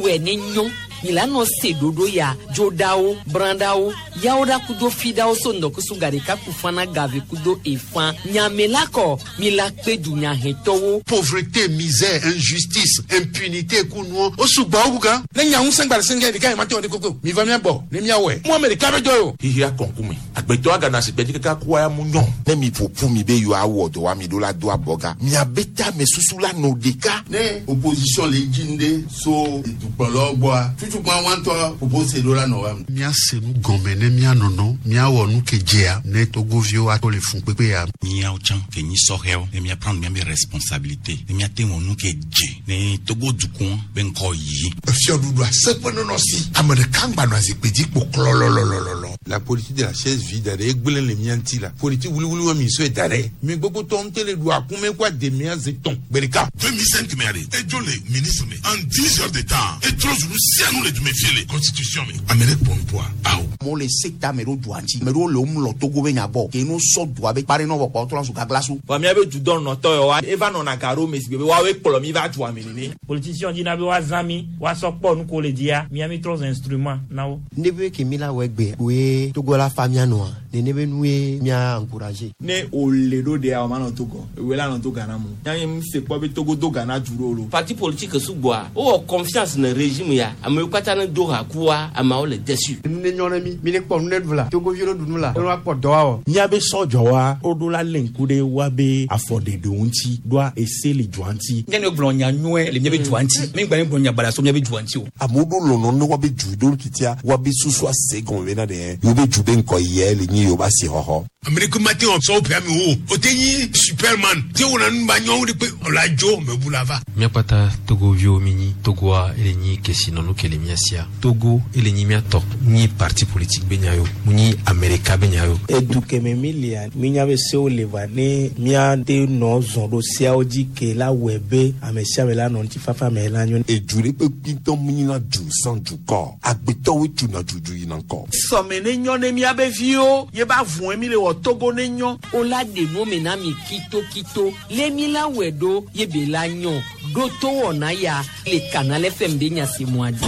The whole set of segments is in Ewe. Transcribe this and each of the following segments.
wɛ ne nyɔ mi la nɔ se ɖoɖo ya dzoɖawo brãɖawo yawo ɖa kudo fiɖawo so ŋdɔkusu gaɖeka ku fana gave kudo efã nyame la kɔ mi la kpe dunyahɛtɔwo. Pauvreté, misère, injustice, impunité ku nuɔ o sugbɔ wu gan. Ne nya ŋusẽ gba le sɛngɛ ɖeka yi ma te wɔ ɖe koko mi va mía gbɔ ne mía wɔe mu ame ɖeka be dɔ ye o. Xixia kɔnkume agbetɔ agana asigbe dzi kaka kua ya mu nyɔ. Ne mi ƒoƒu mi be yewoawɔ dɔ wa mi ɖo la do abɔga miabe tame susu la nɔ ɖeka. Ne opposition le dzi ŋɖe so edukplɔlawo gbɔa tutukpa wa ŋutɔ ƒoƒo se ɖo la nɔ wa me. Míase nu gɔme ne míanɔnɔ míawɔ nu ke dzea ne togoviwo ato le fun kpekpe ya. Míawo tsã ke nyi sɔhɛwo ne mía prendre míabe responsabilité ne míate wɔ nu ke dze ne Togo dukɔ be ŋkɔ yi. Efiɔɖuɖu aseƒe nɔnɔ si ame ɖeka ŋgba nɔ azikpui dzi kpo klɔlɔlɔlɔlɔ. La politique de la chaise vide ɖe egblẽ le mía ŋuti la politique wuliwuli wa mi sɔe da ɖe mi gbogbo tɔ ŋutɔ le ɖu akume kó ademea ze tɔn gbe ɖeka. 2005 mɛ de edzo le ministre me en 10 heures de temps etrɔ zunu sianu le dume fie le constitution me ame ɖe kpɔ ŋkpɔa awo. Amewo le sekta ame ɖewo dua ŋuti ame ɖewo le wo mlɔ Togo be nya gbɔ ke no sɔ dua be kpa ɖe nɔ vɔ kpɔ trɔ zu gaglasu. Vɔ míabe dudɔnɔtɔ yawoa eva nɔna ga ɖo me si gbe be woawoe kplɔ mi va dua me nene. Politicien dina be woazã mi woasɔ kpɔ nu ko le dzia mía mi trɔ zu instrument na wo. Ne be ke mi la wɔ egbe woe Togo la fa mía nɔa nene be nue mía encourager. Ne wòle ɖo ɖea wòma nɔ Togo ewoe la nɔ to Ghana mu. Nya mi se kpɔ be Togo do Ghana du ɖo lo. Parti politique sugbɔa wowɔ confiance ne régime ya amewo katã ne do ha kua ameawo le déçu. Nu ne nyɔ ne mi mi ne kpɔ nu ne ɖu la Togoviwo ne ɖu nu la ne woakpɔ dɔ awɔ. Míabe sɔdzɔwa woɖo la lé ŋku ɖe woabe afɔɖeɖewo ŋuti ɖoa ese le dua ŋuti. Nye ne gblɔ nya nyuie le míabe dua ŋuti mi gba ne gblɔ nya baɖa so míabe dua ŋuti o. Amewo ɖo lɔlɔ ne woabe du ɖo titia woabe susu ase gɔme bena ɖe yewo be du be ŋkɔ yia le nyi yewo be asixɔxɔ. Ame ɖeke mate ŋu sɔ woƒe amewo o te nyi superman te wɔna nu ba nyɔwo ɖe kpe ɔla dzo mebu la va. Míakpata togoviwo mi nyi Togoa ele nyi kesinɔnu ke le mía sia. Togo ele nyi míatɔ nyi parti politique be nya yo mu nyi Amerika be nya yo. Edu keme mi lia mi nya be sewo le va ne míate nɔ zɔn ɖo seawo dzi ke la wɔe be ame sia ame la nɔ ŋutifafa me la nyo. Edu ɖe kpekpe ŋutɔ mu nyina du sans dukɔ agbetɔwoe tuna dudu yina ŋkɔ. Sɔme ne nyɔ ne míabe viwo ye ba vɔe mi le wɔ Togo ne nyɔ. O la ɖe nu me na mi kitokito le mi la wɔe ɖo ye be la nyɔ ɖo to wɔna ya le Canal FM be nya si mua dzi.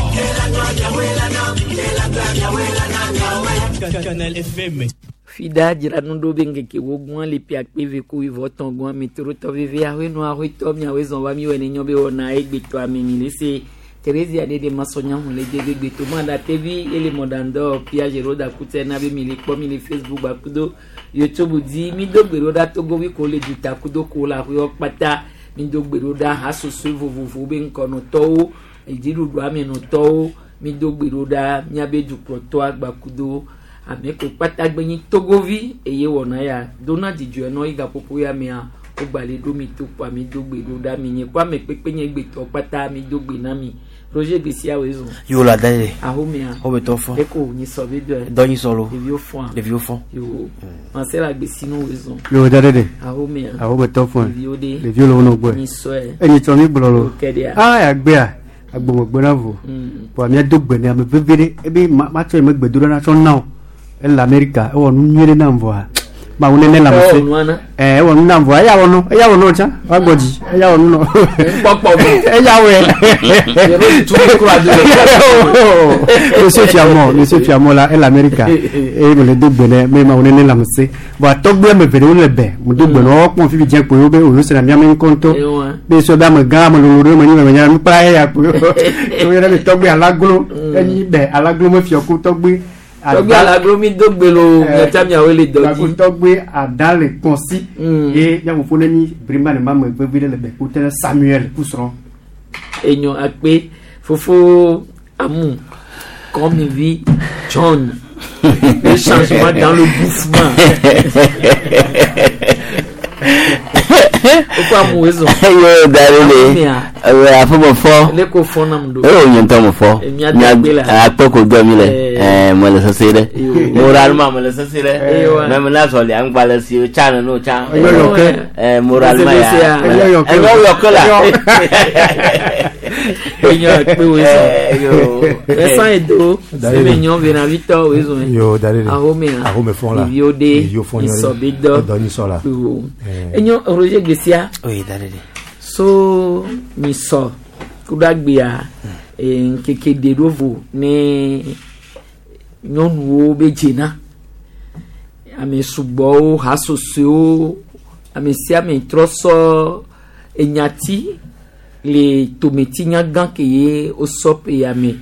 Canal FM. Fida dzra nu ɖo be ŋkeke wo gbɔn le ƒe akpe ve ku wuieve tɔn gbɔn ametorotɔ veve awoe nu awoetɔ miawoe zɔn va mi wɔ ne nyɔ be wɔna egbetɔ ame mi le se Theresia ɖe ɖe masɔnya hun le de be gbeto ma ɖa tevi ele mɔɖaŋdɔ pia zero da kutɛ na be mi le kpɔ mi le Facebook gbakudo YouTube dzi mi do gbe ɖo ɖa Togovi ko le duta kudo ko le aƒewo kpata mi do gbe ɖo ɖa hasosoe vovovowo be ŋkɔnɔtɔwo edziɖuɖu amenɔtɔwo mi do gbe ɖo ɖa miabe dukplɔtɔa gbakudo ame ko kpata gbe nyi Togovi eye wɔna ya dona dzidzɔe nɔ yi gaƒoƒo ya mea wogba le ɖo mi to kpoa mi do gbe ɖo ɖa mi nye kó ame kpekpe nye gbetɔ kpata mi do gbe na mi Roger Gbesiawo zɔn. Yo la da ye. Ahomea. O bɛ tɔ fɔ. Eko nyi sɔ be dɔ. Dɔ nyi sɔ lo. Ɖeviwo fɔa. Ɖeviwo fɔ. Yo. Marcel Agbesinu wo zɔn. Yo da de de. Ahomea. Awo bɛ tɔ fɔ. Ɖeviwo de. Ɖeviwo le wo nɔ gbɔe. Nyi sɔe. Enyi tsɔ mi gblɔ lo. Kɛɖia. Ah agbea agbɔmɔgbɔ na vo. Bɔn mía do gbe ne ame veve ɖe ebe ma ma tsɔ yi me gbedo ɖe na tsɔ na o. Ele Amerika ewɔ nu nyuie ɖe nam vɔa. Mawu nene lãme se. Ewɔ nua na. Ɛ ewɔ nu nam vɔa eya wɔ nu eya wɔ nu tsã woagbɔ dzi eya wɔ nu nɔ. Kpɔkpɔ me. Eya wɔe. Yɛrɛ tu mi kura do. Monsieur Fiamɔ Monsieur Fiamɔ la ele Amerika eye me le do gbe nɛ me mawu nene lãme se. Bɔn atɔgbe ame eve ɖewo le bɛ mo do gbe nɔ wɔkpɔn fifi dze kpoe wo be oyo sena miame ŋkɔ ŋutɔ. Ewa. Be sɔ be ame gã ame lolo ɖe me nyi me nya nukpla eya kpoe. Wo yɔna be tɔgbe alaglo enyi bɛ alaglo me fiɔku tɔgbe. Tɔgbe alaglo mi do gbe lo miatsa miawo le dɔ dzi. Tɔgbe ada le kɔnsi. Ye miaƒoƒo ne nyi brima ne ma me vevi ɖe le bɛ ko tɛnɛ Samuel kusrɔ̃. Enyo akpe fofo amu kɔmivi John le changement dans le bouffement. Fofo amu ezo. Yo da le le. Aƒe me fɔ. Le ko fɔ nam do. Eye nye ŋutɔ me fɔ. Mía do gbe la. Akpe ko dɔ mi le. Ɛɛ me le sese ɖe. Moralement me le sese ɖe. Ewa. Mɛ me na zɔli aŋgba le si tsa nene o tsa. Enyɔ yɔke. Ɛɛ moralement ya. Enyɔ yɔke. Enyɔ yɔke la. Enyo akpe wo ezo. Yo. Vincent Edo sime nyɔ venavitɔ wo ezo. Yo da de de. Ahomea. Ahome fɔn la. Ɖeviwo de. Ɖeviwo fɔn Nyisɔ be dɔ. Dɔ nyisɔ la. Yo. Enyo Roger Gbesia. Oui da de de. So nyisɔ kudo agbea Ŋkeke ɖe ɖo vo ne nyɔnuwo be dzena. Ame sugbɔwo, hasosoewo, ame sia ame trɔ sɔ enyati le tometinyagã ke ye wosɔ ƒe ya me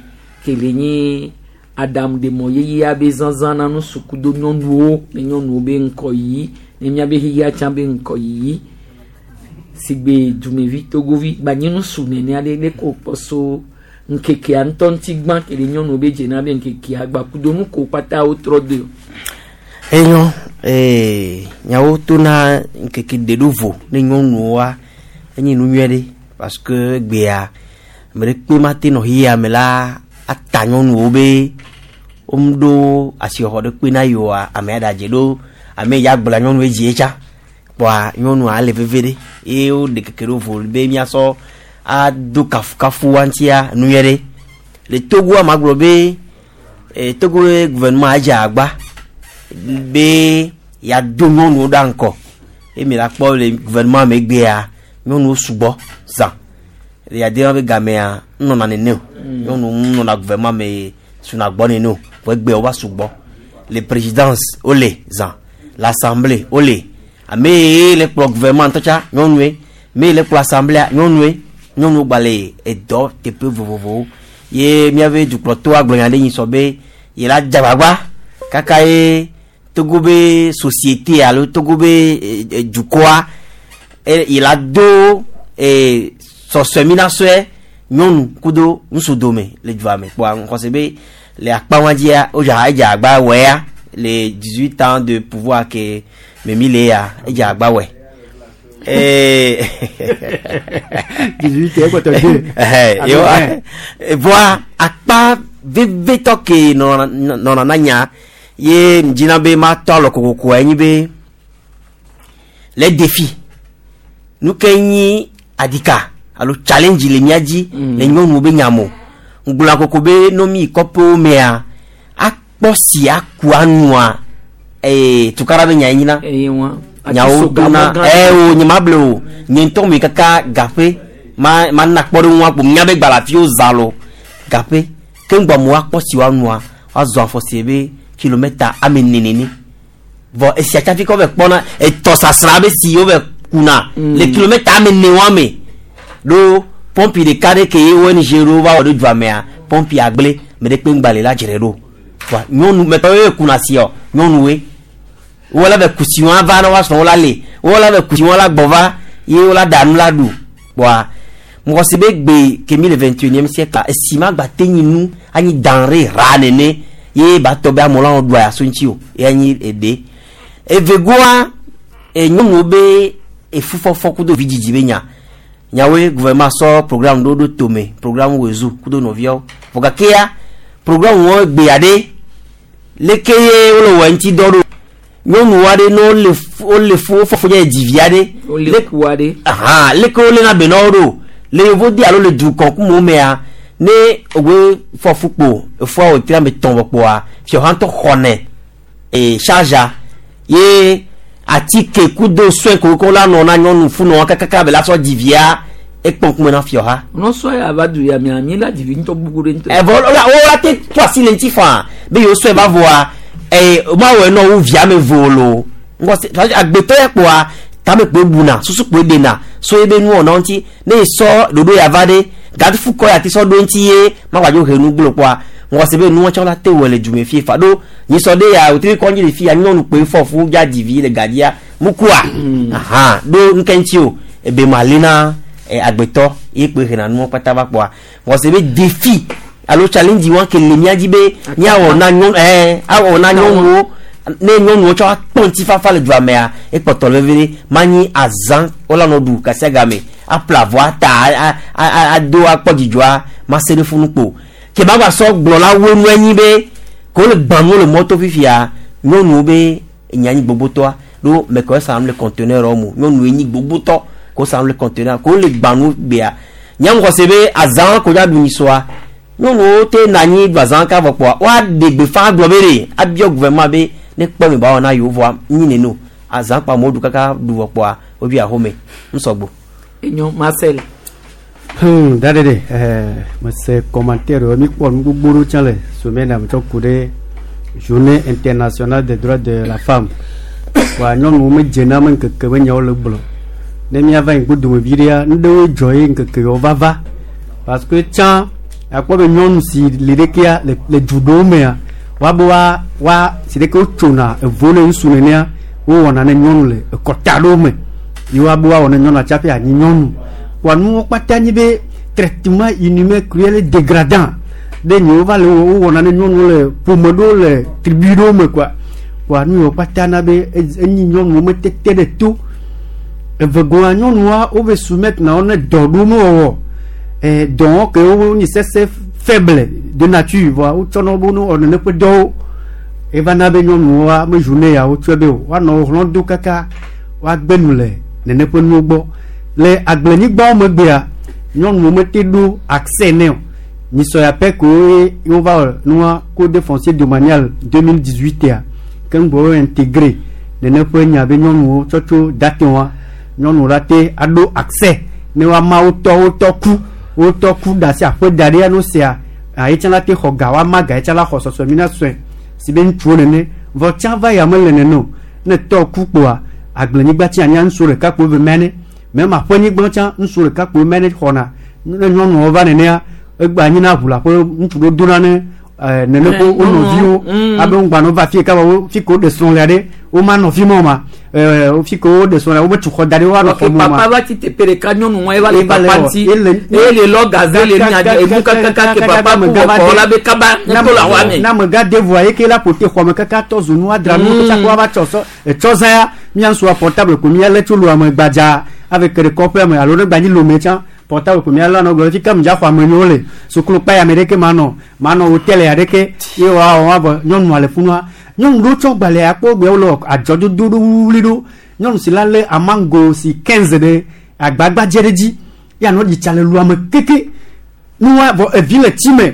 ke le nyi aɖaŋuɖemɔ yeyea be zazã na nu sukudo nyɔnuwo ne nyɔnuwo be ŋkɔyiyi ne míabe xexea tsã be ŋkɔyiyi sigbe dumevi togovi gbanyi nusu nene aɖe ne ko kpɔ so ŋkekea ŋutɔ ŋuti gbã ke le nyɔnuwo be dzena be ŋkekea gbakudo nu ko kpata wotrɔ doe. Enyo nyawo tona ŋkeke ɖe ɖo vo ne nyɔnuwoa enye nu nyuie ɖe parce que gbea ame ɖe kpe ma te nɔ xexea me la ata nyɔnuwo be womeɖo asixɔxɔ ɖe kpe na yewoa ame aɖe adze ɖo ame ya gblɔa nyɔnuwo dzi tsa kpɔa nyɔnua le veve ɖe eye woɖe keke ɖo vo be míasɔ ado kafukafu wa ŋutia nu nyuie ɖe le Togoa ma gblɔ be Togo gouvernement adze agba be yeado nyɔnuwo ɖe ŋgɔ eye mi la kpɔ le gouvernement me gbea nyɔnuwo sugbɔ zã le yade be gamea nɔna nene o nyɔnuwo nɔna gouvernement me suna gbɔ nene o vɔ egbea wova sugbɔ le présidence wole zã l'assemblée wole ame ye le kplɔ gouvernement ŋutɔ tsa nyɔnue me ye le kplɔ assemblée nyɔnue nyɔnuwo gba le edɔ teƒe vovovowo ye míaƒe dukplɔtɔwo gblɔ nya ɖe nyi sɔ be ye la dze agbagba kaka ye Togo be société alo Togo be dukɔa ye la do sɔsɔeminasɔe nyɔnu kudo ŋutsu dome le dua me kpɔa ŋkɔse be le akpa wa dzia wodza edze agba wɔe ya le 18 ans de pouvoir ke me mi le ya edze agba wɔe. 18 ekpɔtɔ de. Voa akpa vevitɔ ke nɔna na nya ye dzina be matɔ alɔ kokoko enyi be le défi nu ke nyi adika alo challenge le mía dzi le nyɔnuwo be nyamo ŋgblɔa koko be no mi kɔƒewo mea akpɔ si aku anua tukara be nya nyina nyawo dona o nye ma ble o nye ŋutɔ mi kaka gaƒe ma ma na kpɔ ɖe ŋua kpo nya be gbalafiwo zã lo gaƒe ke ŋgbɔ mo akpɔ si woanua woazɔ afɔ si be kilomètre ame nenene vɔ esia tsafi kɔ bɛ kpɔna etɔ sasra be si wo bɛ kuna le kilomètre ame ne wa me ɖo pɔmpi ɖeka ɖe ke ye ONG ɖo va wɔ ɖo dua mea pɔmpi agble me ɖe kpe ŋgba le la dzre ɖo wa nyɔnu mɛtɔ ye kuna si ɔ nyɔnuwoe wo la bɛ kusi wɔn va na wa srɔ̃ wo la le wo la bɛ kusi wɔn la gbɔ va ye wo la ɖa nu la ɖu kpɔa mɔgɔ si be gbe kemi le 21e siècle esi ma gba te nyi nu anyi denrée ra nene ye ba tɔ be amewo la ɖu ayaso ŋuti o ye anyi eɖe evegoa nyɔnuwo be efufɔfɔ kudo vidzidzi be nya nyawoe gouvernement sɔ programme ɖo ɖo tome programme wezu kudo nɔviawo vɔ gakea programme wɔ gbea ɖe leke ye wole wɔ ŋuti dɔ ɖo nyɔnu aɖe ne wole wole fu wofɔ fu nye dzivi aɖe wole ku aɖe ahan leke wole na be na wo ɖo le yevo di alo le dukɔ kumo mea ne ogbe fɔ fu kpo efua wòtri ame tɔn vɔ kpoa fiɔha ŋutɔ xɔnɛ charge ye atike kudo soin ko la nɔ na nyɔnu funɔ kakaka be la sɔ dzivia ekpɔn kume na fiɔha. nɔsɔ ya va du ya mia mi la dzivi ŋutɔ gbogbo ɖe ŋutɔ. Ɛvɔ wo la te to asi le ŋuti faa be yewo sɔe va voa ma wɔ nɔ wo via me vo lo ŋgɔ se agbetɔ ya kpoa tame kpoe buna susu kpoe ɖena so ebe nuwɔna ŋuti ne esɔ ɖoɖo ya va ɖe gati kɔ ya ti sɔ ɖo ŋuti ye ma gbadzo he nu gblɔ kpoa ŋgɔ se be nuwɔ tsɔ la te wɔ le dume fie fa ɖo nyisɔ ɖe ya wòtri kɔndzi le fia nyɔnu kpoe fɔ fu dza dzivi le gadia mukua ahan ɖo nuke ŋuti o ebe ma li na agbetɔ ye kpoe hena nuwɔ kpata va kpoa ŋgɔ se be défi alo challenge wa ke le mía dzi be míawɔ na nyɔnu awɔ na nyɔnuwo ne nyɔnuwo tsɔ akpɔ ŋutifafa le dua mea ekpɔtɔ le veve ɖe manyi azã wola nɔ ɖu kasia game aƒle avɔ ata ado akpɔ dzidzɔa mase ɖe funu kpo ke ma gba sɔ gblɔ la wo nu anyi be ko le gbãnuwo le mɔto fifia nyɔnuwo be enya nyi gbogbotɔa ɖo mɛkɔ sa le conteneur mo nyɔnuwo nyi gbogbotɔ ko sa le conteneur ko le gbãnu gbea nyaŋkɔ se be azã ko dza ɖu nyisɔa nyɔnuwo te na anyi ɖu azã ka vɔ kpoa woaɖe gbeƒã gblɔ be ɖe abiɔ gouvernement be ne kpɔ mi ba wɔ na yewo vɔa nyi neno azã kpa amewo ɖu kaka ɖu vɔ kpoa wobi axome ŋusɔgbo. Enyo Marcel. Da ɖe ɖe mese commentaire mi kpɔ nu gbogbo ɖewo tsã le semaine me tsɔ ku ɖe Journée internationale des droits de la femme. Wa nyɔnuwo medze na ame ŋkeke be nyawo le gblɔ. Ne míava yi ŋgɔdome vi ɖea, nu ɖewoe dzɔ ye ŋkeke yawo va va. Parce que tsã akpɔ be nyɔnu si li ɖekea le du ɖewo mea, woabe wa wa si ɖeke wotsona evo ne ŋutsu nenea, wowɔna ne nyɔnu le ekɔta ɖewo me. Ye woabe woawɔ ne nyɔnua tsaƒe anyi nyɔnu. Kpoa nuwo kpata nyi be traitement inhumain, cruel et dégradant ɖe nyi wova le wowɔna ne nyɔnuwo le ƒome ɖewo le tribu ɖewo me kɔa. Kpoa nu yiwo kpata na be enyi nyɔnuwo metete ɖe to. Evegɔa nyɔnua wove soumettre na wo ne dɔ ɖewo mewɔwɔ. Dɔwɔ ke wo nyi sese faible de nature vɔa wotsɔna wo be wonɔ nene ƒe dɔwo. Eva na be nyɔnuwoa me journée ya wotsɔe be o woanɔ wo hlɔ̃ do kaka woagbe nu le nene ƒe nuwo gbɔ. Le agblenyigbawo megbea nyɔnuwo mete ɖo accès nɛ o. Nyisɔ ya pɛ koe ye wova wɔ nua code foncier domanial 2018 ya keŋ gbɔ wo intégré nene ƒe nya be nyɔnuwo tsɔtso date wa nyɔnuwo la te aɖo accès ne woama wotɔ wotɔ ku wotɔ ku da asi aƒe da ɖe no sia ayi tsã la te xɔ ga woama ga tsã la xɔ sɔsɔ mi na sɔe si be ŋutsuwo nene vɔ tsã va ya mele nene o ne tɔ ku kpoa agblenyigba tsi anya ŋutsu ɖeka kpo ve mɛ ne mɛ ma ƒe nyigba tsã ŋutsu ɖeka kpo mɛ ne xɔna ne nyɔnuwo va nenea egbe anyi na ʋu le aƒe ŋutsu ɖewo dona ne nene ko wo nɔviwo abe ŋgba va fie kaba wo fi ko ɖe srɔ̃ le ɖe wo ma nɔ fi ma o ma fi ko wo ɖe srɔ̃ le wo me tu xɔ da ɖe wo anɔ xɔ me o ma. Papa va ti teƒe ɖeka nyɔnu wa eva le papa ŋuti eye le lɔ gaze le nya emu kakaka ke papa ku wɔ la be kaba ne to le xɔa me. Na amegã de voa ye ke la ƒo te xɔ me kaka tɔ zu nu adra nu kaka wa va tsɔ sɔ etsɔ zã ya mía ŋutsua portable ko mía lé tso lu ame gbadza ave ke ɖe kɔƒea me alo ne gba nyi lome tsã portable ko mía lé anɔ gblɔ fi ke mdza xɔ ame nyiwo le sukulu kpa ya me ɖeke manɔ manɔ hôtel ya ɖeke ye wa wɔ wa vɔ nyɔnua le funua nyɔnu ɖewo tsɔ gbalẽ akpɔ gbe wole adzɔdodo ɖo wuli ɖo nyɔnu si la lé amango si 15 ɖe agbagbadze ɖe dzi ya nɔ ɖi tsa le lua me keke nua vɔ evi le tsi me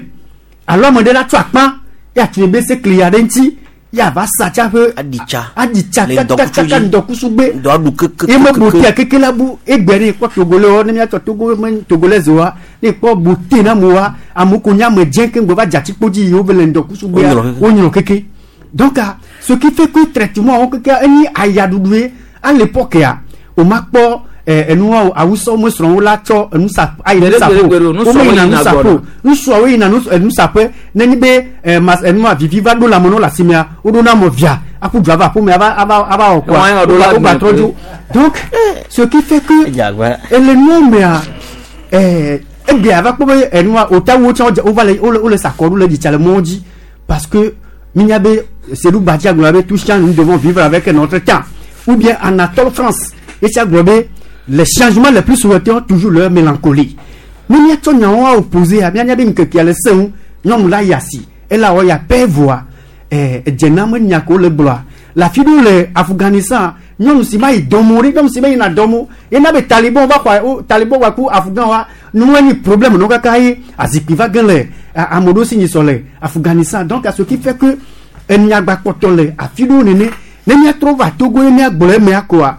alo ame ɖe la tsɔ akpa ya tu ebe sekli ya ɖe ŋuti ya va sa tsa ƒe aditsa aditsa Le ŋdɔkutsu kakaka dzi. ŋdɔkusu gbe Dɔ aɖu keke ye me botea keke la bu egbe ɖe kpɔ togolais wo ne míatsɔ togo me togolais wa ne kpɔ bote na mo wa amewo ko nye ame dzẽ ke ŋgbɔ va dze atikpo dzi yi wo ve le ŋdɔkusu gbea Wonyrɔ keke. wonyrɔ keke donc ce qui fait que traitement wo keke enyi ayaɖuɖu ye à l'époque ya o ma kpɔ enuwa awusɔwo me srɔ̃wo la tsɔ enusa ayi Gbere, nusaƒe gbere, gbere, o nusrɔ̃wo wo me yina yina nusaƒe o gbɔna. ŋutsuawo yina enusaƒe nenye be mas enua vivi va ɖo lãme na wo le asimea woɖo na mɔ via aƒu du ava aƒeme ava ava ava wɔ Wɔn kɔa ɖo la wogba me trɔ dzo donc ce qui fait que ele nua mea egbea va kpɔ be enua otawo tsã wodze- wova le wole sa akɔ ɖo le ɖitsa le mɔwo dzi parce que minya be Seydou Badji gblɔ be tout change, nous devons vivre avec notre temps, ou bien Anatole France etsia gblɔ be les changements les plus souhaités ont toujours leur mélancolie. Ne míatsɔ nyawo opposé a míanya be ŋkekea le se ŋu nyɔnu la yi asi ela wɔ ya pɛ voa edzena me nya ko le gblɔa le afi ɖewo le Afghanistan nyɔnu si ma yi dɔmo ɖe nyɔnu si ma yina dɔmo yena be taliban va xɔ wo taliban wa ku Afghan wa nu enyi problème no kaka ye azikpui va ge le ame ɖewo si nyi sɔ le Afghanistan. Donc à ce qui fait que enyagba kpɔtɔ le afi ɖewo nene ne míatrɔ va Togo ye míagblɔ emea koa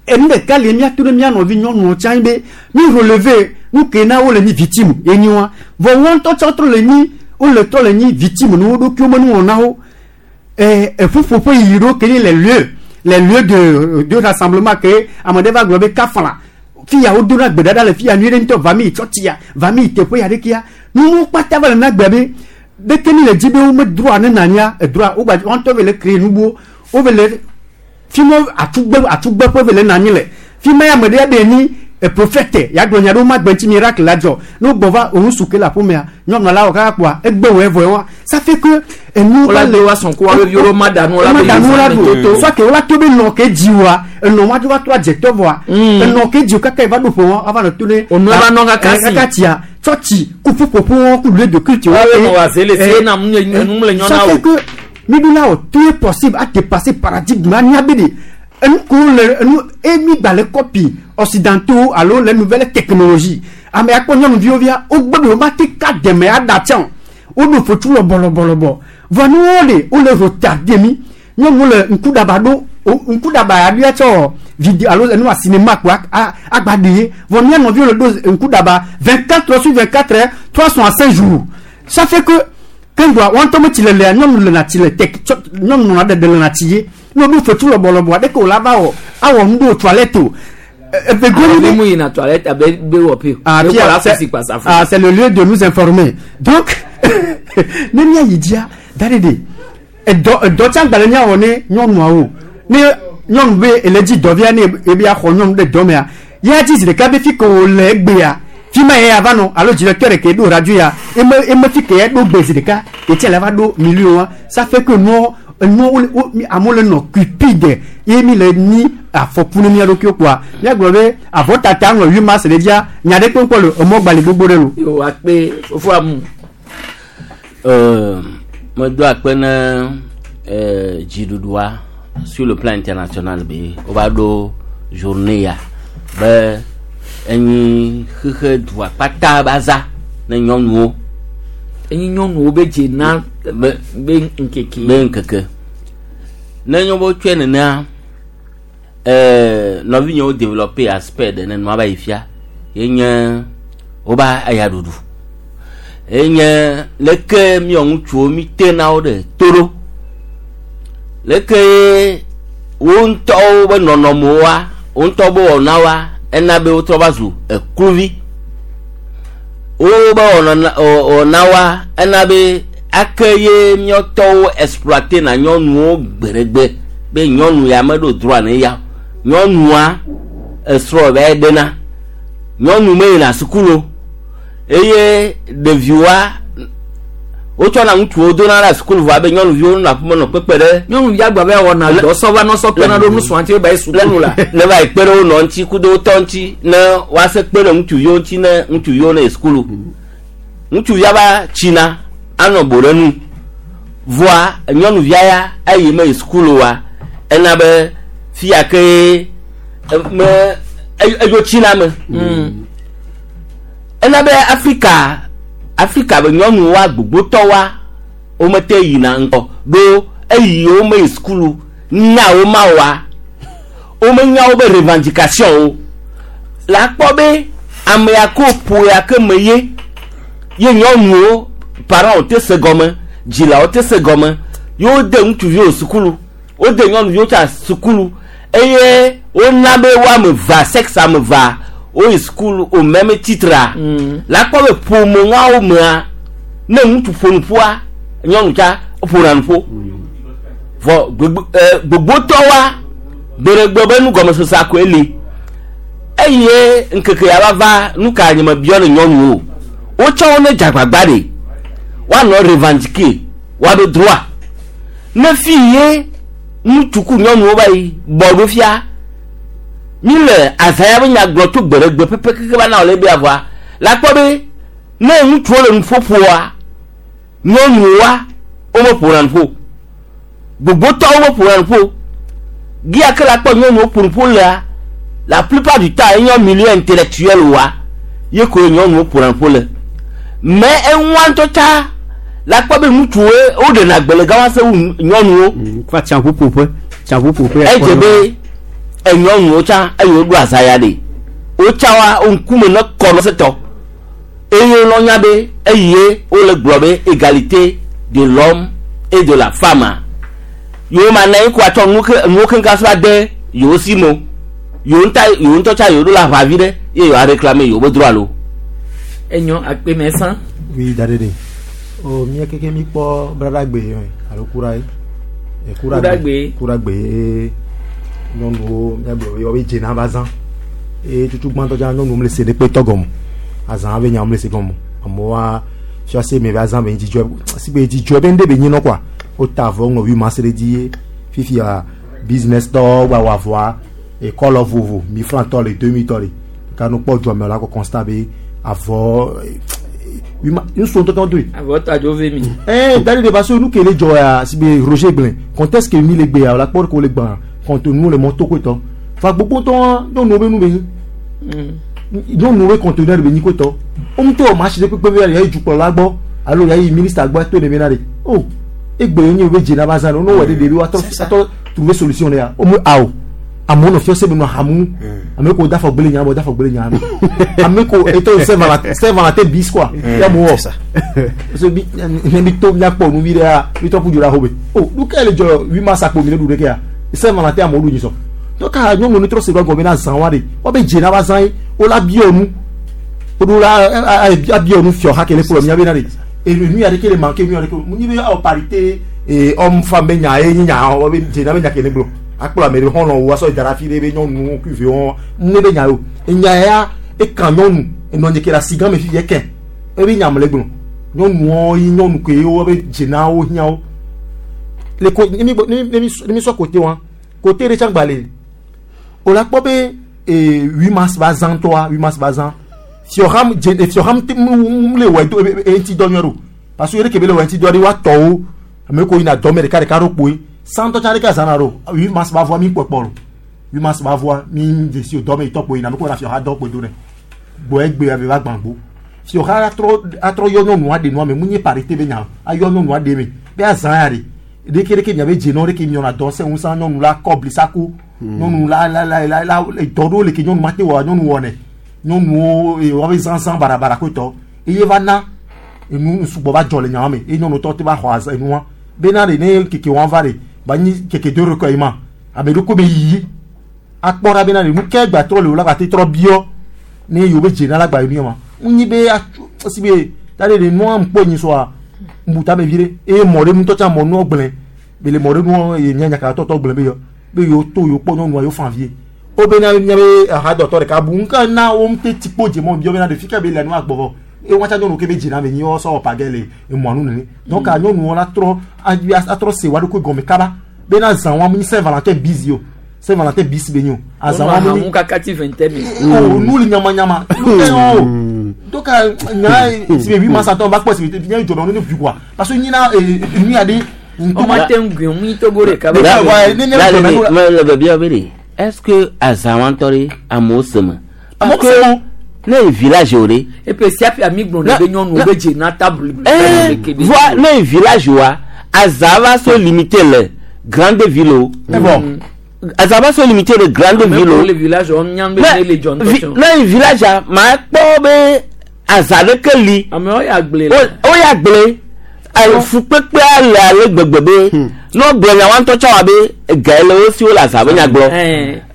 enu ɖeka le míato ɖe mía nɔvi nyɔnuwo tsã be mi relever nu ke na wole nyi victime ye nyi wa vɔ wɔn ŋutɔ tsɔ trɔ le nyi wole trɔ le nyi victime ne wo ɖokuiwo me nuwɔnawo eƒuƒoƒe yiyi ɖewo ke nye les lieux de rassemblement ke ame ɖe va gblɔ be kafla fi ya wodona gbe ɖaɖa le fi ya nyuie ɖe ŋutɔ va mi yi tsɔtsia va mi yi teƒe ya ɖekea nuwo kpata va le na gbea be ɖeke mi le dzi be wo me droit ne nanya edroit wo gba wɔn ŋutɔ ve le créer nubuwo wo ve le fi ma atugbe atugbe ƒe ve le nanyi le fi ma ya ame ɖe be nyi prophète ya gblɔ nya ɖewo ma gbe ŋuti miracle la dzɔ ne wogbɔ va òun su ke le aƒemea nyɔnua la wɔ kaka kpoa egbe wɔ evɔ wa ça fait que enu Wola gbe wa sɔn ko wa be viwo ma da nu, wola ma be da nu la yi ɖu toto. soit que wola to be nɔ ke dzi wa enɔ ma dzo va trɔ adzetɔ vɔa enɔ ke dzi kaka yi va ɖo ƒo wɔn ava nɔ to ne Onu va nɔ kaka si. kaka tsia tsɔtsi ku ƒuƒoƒo wɔn ku lieu de culte Wa be nɔ wa ze le se na mu nye- nu le nyɔ na ça o. fait que mi ɖo la wɔ tout est possible à dépasser paradigme anya be de enu ko le enu emi gba le copie occidentaux alo les nouvelles technologies ame akpɔ nyɔnuviwo via wogbe be wo ma te ka dɛmɛ aɖa tsã o woɖo fotu lɔbɔlɔbɔlɔbɔ vɔ nuwo le wole retardé mi nyɔnuwo le ŋkuɖaba ɖo ŋkuɖaba ya ɖoa tsɔ Vidéo alo enu cinéma kpo agba ɖe ye. Vɔ mía nɔviwo le ɖo ŋku ɖaba 24 heures sur 24 heures, 365 jours. Ça fait que keŋgba wɔn ŋutɔ metsi le lea, nyɔnu le na tsi le te tsɔ nyɔnu nɔna ɖeɖe le na tsi ye. Ne woɖo fetu lɔbɔlɔbɔ aɖeke o la va wɔ awɔ nu ɖo toilette o. Eve goni be mu yina toilette abe be wɔ pe. Ah, Pierre, ah, c'est le lieu de nous informer. Donc, ne mía yi dzia, da ɖe ɖe, edɔ edɔ tsã gbalẽ míawɔ ne nyɔnuawo. Ne nyɔnu be ele dzi dɔvia ne ebe axɔ nyɔnu ɖe dɔ mea, ya dzi zi ɖeka be fi ke wòle egbea, fi ma ye ava nɔ alo directeur ke ɖo radio ya, eme eme fi ke ya ɖo gbe zi ɖeka, etsia le va ɖo milieu wa, ça fait que nuɔ enuwo wo wo amewo le nɔ cupide ye mi le nyi afɔku ne mía ɖokuiwo kpoa míagblɔ be avɔtata ŋlɔ 8 mars ɖe dzia nya ɖe kpe ŋkpɔ le emɔ gbali gbogbo ɖe lo. Yo akpe fofo amu. Medo akpe ne dziɖuɖua sur le plan international be wova ɖo journée ya be enyi xexe dua kpata be aza ne nyɔnuwo. Enyi nyɔnuwo be dze na be be ŋkeke. Be ŋkeke. Ne nyɔ be wotsɔe nenea, nɔvinyewo développer aspect ɖe ne nua va yi fia ye nye woba eya ɖuɖu. Enye leke míɔ ŋutsuwo mi tena wo ɖe to ɖo. Leke wo ŋutɔwo be nɔnɔmewoa, wo ŋutɔ be wɔnawoa, ena be wotrɔ va zu ekluvi. Wo be wɔnawoa, ena be ake ye míɔtɔwo exploiter na nyɔnuwo gbeɖegbe be nyɔnu ya meɖo droit ne ya. Nyɔnua esrɔ̃ va yi ɖena. Nyɔnu meyina sukulu o. Eye ɖeviwoa wotsɔna ŋutsuwo dona ɖe sukulu vɔ abe nyɔnuviwo nɔ aƒeme nɔ kpekpe ɖe. Nyɔnuvi agba be wɔna dɔ sɔ va nɔ sɔ kpena ɖo nusrɔ̃a ŋuti be ba yi sukulu la. Ne va yi kpe ɖe wo nɔ ŋuti kudo wo tɔ ŋuti ne woase kpe ɖe ŋutsuviwo ŋuti ne ŋutsuviwo ne yi sukulu. Ŋutsuvia va tsina anɔ bo ɖe nu. Vɔa nyɔnuvia ya eyi me yi sukulu wa ena be fia ke me edzo tsina me. Ena be Afrika Afrika be nyɔnuwoa gbogbotɔwoa womete yina ŋgɔ ɖo eyi wome yi sukulu nya wo ma wa womenya wobe revendication wo la kpɔ be ame ya ko ƒo ya ke me ye ye nyɔnuwo parents te se gɔme dzilawo te se gɔme ye wode ŋutsuviwo sukulu wode nyɔnuviwo tsa sukulu eye wona be wo ame evea sexe ame evea woyi sukulu au même titre la kpɔ be ƒomeŋawo mea ne ŋutsu ƒo nuƒoa nyɔnu tsa ƒona nuƒo vɔ gbogbotɔwoa gbeɖegbe be nugɔmesesea koe li eye ŋkeke ya va va nu ka nye mebiɔ ne nyɔnuwo wotsɔ wo ne dzagbagba ɖe woanɔ revendiquer woaɖo droit ne fi ye ŋutsu ku nyɔnuwo va yi bɔ ɖo fia mi le azã ya be nya gblɔ tso gbeɖegbe pɛpɛ keke va na wòle be avɔa la kpɔ be ne ŋutsuwo le nuƒoƒoa nyɔnuwoa womeƒona nuƒo gbogbotɔwo meƒona nuƒo gia ke la kpɔ nyɔnuwo ƒo nuƒo lea la plupart du temps enye milieu intellectuel wa ye koe nyɔnuwo ƒona nuƒo le mais eŋua ŋutɔ tsa la kpɔ be ŋutsuwo woɖena gbe le gama se wu nyɔnuwo. Fa tsaƒuƒoƒe tsaƒuƒoƒe. Edze be enyɔnuwo tsã eye woɖo azã ya ɖe wotsa wa ŋkume ne kɔ nɔ setɔ eye wonɔ nya be eye wole gblɔ be égalité de l'homme et de la femme yewo ma na yi ko atsɔ nuwo keŋkeŋ sɔ ade yewo si me o yewo ŋutɔ yewo ŋutɔ tsa yewo ɖo la aʋa vi ɖe ye yewoa réclamer yewo be droit lo. Enyo akpe mɛ sã. Oui, dadede. O mía keke mi kpɔ braɖagbe alo kura ye. Kuragbe. Kuragbe ye nyɔnuwo míagblɔ be wobe dzena va zã. Eye tutu gbãtɔ tsã nyɔnuwo mele se ɖe kpe tɔ gɔme. Azã be nya mele se gɔme. Amewoa fiase me va zã be dzidzɔ si be dzidzɔ be ŋɖe be nyi nɔ kɔa. Wota avɔ ŋlɔ 8 mars ɖe dzi ye fifia business tɔwo gba wɔ avɔa ekɔlɔ vovo 1000 francs tɔ le 2000 tɔ le. Ka no kpɔ dua me la kɔ constat be avɔ ŋutsu ŋutɔ tɔ doe. Avɔ tɔ adzo ve mi. Ɛɛ dari de parce que nu ke le dzɔ ya si be Roger gblẽ contexte ke mi le gbe ya la kpɔ ko le gbã contenu le mɔ to koe tɔ fa gbogbo tɔ nyɔnuwo be nu be nyi nyɔnuwo be conteneur be nyi koe tɔ wo ŋutɔ wɔ marché ɖe kpekpe be ya yi dukplɔla gbɔ alo ya yi ministre gbɔ to ne be na de oh egbe nye be dzena ba zã no wɔ ɖe ɖevi woatɔ atɔ trouver solution ɖe ya wo mu awo. Amewo nɔ fiɔse me nɔ hamu. Ame ko da fɔ gbele nya, da fɔ gbele nya. Ame ko eto Saint Valentin bis quoi. Ya mo wɔ. Parce que bi ne bi to miakpɔ nu vi ɖea, mi tɔ ku dzo ɖe axome. Oh, nu ka le dzɔ 8 mars akpo mi ne ɖu ɖeke ya. Saint Valentin amewo ɖu nyisɔ. Donc nyɔnu ne trɔ se ɖo gɔme na zã wa ɖe. Woabe dze na va zã ye, wola biɔ nu. Woɖo la abiɔ nu fiɔ ha ke le kplɔ mia be na ɖe. Enu ya ɖeke le manque nu ya ɖeke. Mu nyi be awɔ parité et homme femme be nya ye nyi nya woabe dze na be nya ke ne gblɔ. Akplɔ ame ɖe xɔlɔ̃ wo asɔ da ɖe afi ɖe be nyɔnuwo kuive wɔn ne be nya yo. Enya ya eka nyɔnu enɔ nye ke le asi gã me fifi eke. Ebe nya me le gblɔ. Nyɔnuwo yi nyɔnu ke ye woabe dze na wo hiã wo. Le ko ne mi ne mi ne mi sɔ côté wa côté ɖe tsã gba le. O la kpɔ be 8 mars va zã ŋutɔa 8 mars va zã. Fiɔham dze fiɔham te mu le wɔe do e ŋuti dɔ nyuie ɖo. Parce que ɖeke be le wɔe ŋuti dɔ ɖe woatɔ wo. Ame ko yina dɔ me ɖeka ɖeka ɖo kpoe. Santɔ tsã ɖeke azã na ɖo. 8 mars va voa mi kpɔkpɔ ɖo. 8 mars va voa mi dzesi o dɔ me yitɔ kpoe yina ame ko yina fiɔha dɔ kpoe do nɛ. Gbɔ egbe ave va gbã gbo. Fiɔha atrɔ atrɔ yɔ nyɔnua ɖe nua me mu nye parité be nya ayɔ nyɔnua ɖe me be azã ya ɖe. Ɖeke ɖeke miabe dze nɔ ɖeke miɔna dɔ se ŋusẽ nyɔnu la kɔ blisaku. Nyɔnu la la la la la dɔ ɖewo le ke nyɔnu mate wɔ nyɔnu wɔnɛ. Nyɔnuwo woabe zãzã barabara koe tɔ. Eye va na enu sugbɔ va dzɔ le nyawo me eye nyɔnu tɔ te va xɔ azã enua. Bena ɖe ne keke wɔn va ɖe ba nyi keke do ɖe kɔ yi ma ame ɖokui be yiyi akpɔ ɖa bena ɖe nu ke gba trɔ le wo la gba te trɔ biɔ ne yewo be dze na la gba yi nu ma. Ŋu be atso esi be ta ɖe ɖe nua ŋkpɔ nyi sɔa ŋbuta me vi ɖe eye mɔ ɖe ŋutɔ tsã mɔ nua gblẽ be le mɔ ɖe nua ye mía nyaka tɔtɔ gblẽ be yɔ be yewo to yewo kpɔ nyɔnua yewo fan vie. Wo bena míabe ahadɔtɔ ɖeka bu ŋka na wo ŋute tikpo dze mɔ biɔ bena ɖe fi ka be le nua gbɔ vɔ eye wɔn tsã nyɔnu ke be dzina me nyi wɔ sɔ wɔ pagɛ le emɔa nu nene. Donc nyɔnuwo la trɔ atrɔ se wa ɖokui gɔme kaba bena zã wa mu nyi Saint Valentin bis o Saint Valentin bis be nyi o azã wa mu nyi. kaka ti vingtaine mi. O nu li nyamanyama nu tɛ o donc nya si be 8 mars atɔ va kpɔ si be nye dzɔ ne vi quoi parce que nyina nu ya ɖe. Ɔma te ŋu gbe mu Togo ɖeka. Le bebia be ɖe est-ce que azã wa ŋutɔ ɖe amewo se me. Parce que ne yi village o ɖe. Epe sia ƒe ami gblɔ be nyɔnuwo be dze na table. Voa ne yi village wa azã va so limité le grande ville o. Azã va so limité le grande ville o. Le village o nyam be ne le dzɔ ŋutɔ. Ne yi village a ma kpɔ be azã ɖeke li. Amewo ya gblẽ. O ya gblẽ. Fukpekpea le ale gbegbe be ne wogblɔ nya wa ŋutɔ tsã wa be ega le wo si wole azã be nya gblɔ.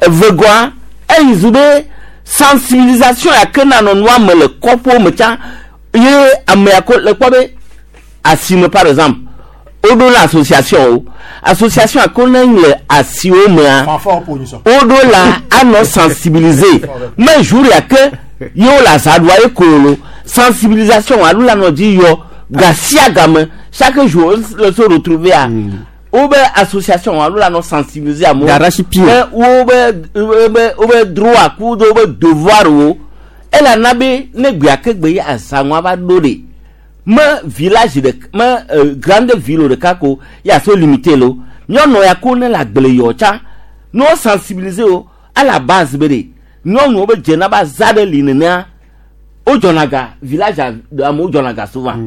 Evegɔa eyi zu be sensibilisation ya ke nanɔ nua me le kɔƒewo me tsã ye ame ya ko le kpɔ be asime par exemple woɖo la association wo association ya ko ne le asiwo mea woɖo la anɔ sensibiliser mais jour ya ke ye wole azã ɖua ye kolo sensibilisation alo la nɔ dzi yɔ gasia game chaque jour le se retrouver a wobe association alo la nɔ sensibiliser amewo wobe wobe droit ku do wobe devoir wo elana be ne gbea ke gbe ye azãŋua va ɖo ɖe me village ɖe me grande ville ɖeka ko ya so limité lo nyɔnu ya ko ne le agble yɔ tsã ne wo sensibiliser wo à la base be ɖe nyɔnuwo be dzena ba za ɖe li nenea wodzɔna ga village amewo dzɔna ga souvent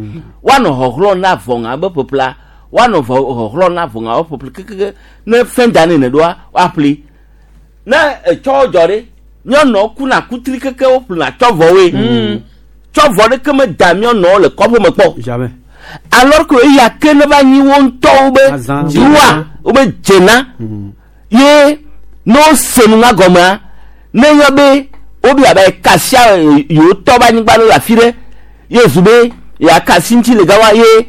woanɔ xɔxlɔ na vɔŋa be ƒeƒlea woanɔ xɔxlɔ na vɔŋa be ƒeƒle kekeke ne fin d'année ne ɖoa woaƒli ne etsɔ dzɔ ɖe nyɔnuwo kuna kutri keke woƒlena tsɔvɔwoe tsɔvɔ ɖeke me da nyɔnuwo le kɔƒe me kpɔ alors que eya ke ne va nyi wo ŋutɔwo be droit wobe dzena ye ne wose nu ŋa gɔmea ne nye be wobe abe kasia yewo tɔ be anyigba ɖe le afi ɖe ye zu be ya kasi ŋuti le gama ye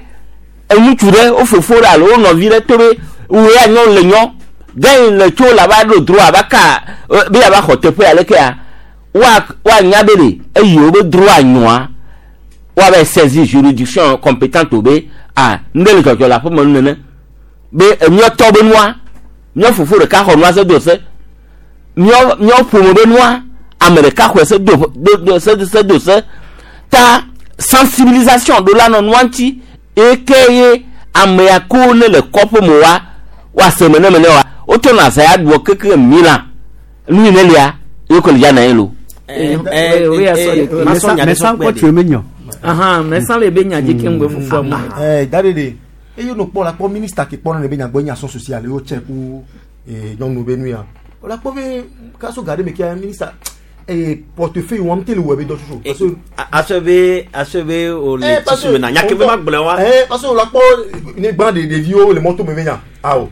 ŋutsu ɖe wo fofo ɖe alo wo nɔvi ɖe to be wo ya nyɔ le nyɔ gɛn le tso la va ɖo droit va ka be ya va xɔ teƒe ya lekea wa woanya be ɖe eye wo be droit nyɔa woava saisir juridiction compétente be ah nu ɖe le dzɔdzɔ le aƒeme nu nene be emiɔtɔ be nua míɔ fofo ɖeka xɔ nua se do se míɔ míɔ ƒome be nua ame ɖeka xɔe se do do se se do se ta sensibilisation ɖo la nɔ nua ŋuti eke ye ame ya ko ne le kɔƒe me wa woase me ne me ne wa wotɔ na azã ya ɖuɔ keke mi la nu yi ne lia ye ko le dza na ye lo. Mɛsan le be nya dzi ke ŋgbe fofoa mu. Da ɖe eye no kpɔ la kpɔ ministre ke kpɔ ne be nya gbɔ nya action sociale ye wo tse ku nyɔnu be nu ya. O la kpɔ be kaso ga ɖe me kia ministre eh portefeuille wɔm te le wɔ be dɔ tutu. Parce que asɔ be asɔ be o le Eh, parce tusu me na nya ke be ma gblɔ wa. Eh, parce que o la kpɔ ne gbã de ɖeviwo le mɔto me be nya awo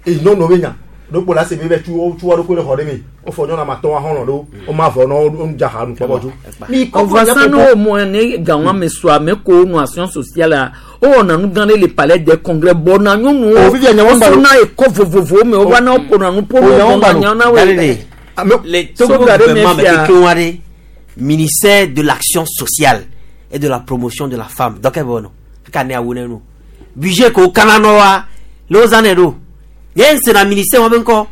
eye nyɔnuwo be nya ɖokpo la se be be tu wo tu wo ɖokui ɖe xɔ ɖe me wofɔ nyɔnu ame atɔ̃ ahɔnɔ ɖo wo ma vɔ nɔ wo nu dza ha nu kpɔkpɔ tso. Mi kɔ Ɔvasa ne wo mɔ ne gawọn ame sɔ ame ko nu action sociale a o wɔna nu gã ɖe le palais des congrès bɔna nyɔnuwo O, fifia nyawo gba wosona ekɔ vovovowo me wova na woƒona nu ƒo O, nyawo gba nu lo. nyawo na Dalele, woe. le Togo Soga ɖe me gouvernement me fia. kekeŋ aɖe ministère de l'action sociale et de la promotion de la femme dɔkɛ bɛ wɔnɔ kaka ne awo ne nu budget ko kana nɔ wa le wo zã ne ɖo nye ŋ sena ministère wa be ŋkɔ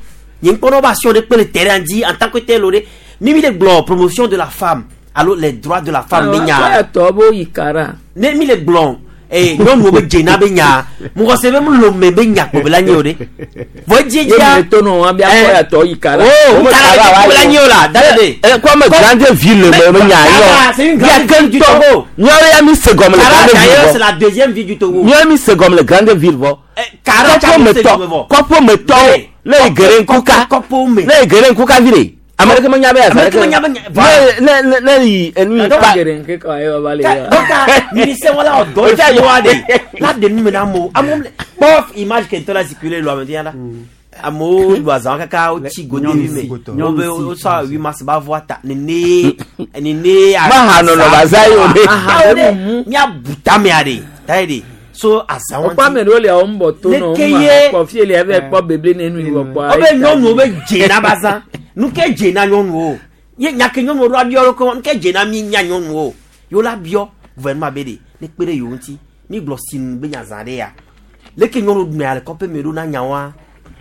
nye ŋkpɔ ne wo be action ɖe kpe le terrain dzi en tant que tel o ɖe mi mi le gblɔ promotion de la femme alo les droits de la femme be nya Awa tɔ bo yi kara. ne mi le gblɔ ee nyɔnuwo be dzena be nya mɔgɔ se be mu lome be nya kpo be la nye o ɖe vɔ edzi Ye dzia mi le to nɔ wa bi akɔ ya tɔ yi kara. Oh, kara be kpo la nye o la da de. Comme grande ville me me nya Kara, c'est une yɔ. grande ville du Togo. Míawo ya mi se gɔme le Kara grande ville d'ailleurs vɔ. c'est la deuxième ville du Togo. Míawo mi se gɔme le grande ville vɔ. Kara Kɔƒe me tɔ kɔƒe me tɔwo ne yi gere ŋkuka ne yi gere ŋkuka vi de. Ame ɖeke menya be Ame ɖeke menya be nya- Ne ne ne yi enu yi pa. Gere ŋke kɔ ayi wa ba le ya. Donc, ministère wala ɔdɔ fi wa de la de nu me na amewo amewo le kpɔ image ke ŋutɔ la circuler lo ame la amewo ɖu azã kaka wotsi godevi me wobe wosɔ 8 mars ba vɔ ta nene nene. Maha nɔnɔ ba za yi o de. Aha o de miabu tamea de ta ye de so azã Wokpɔ ame ɖewo le wo ŋbɔ to nɔ Ne ke ŋu ye- kpɔ fie le eve kpɔ beble ne nu yi wɔ kpɔ. wobe nyɔnuwo be dzena ba zã nu ke dzena nyɔnuwo ye nya ke nyɔnuwo ɖo abiɔ ɖo nu ke dzena mi nya nyɔnuwo yewo la biɔ gouvernement be de ne kpe ɖe yewo ŋuti mi gblɔ sinu be nya zã ɖe ya leke nyɔnuwo ɖuna le kɔƒe me ɖo na nyawoa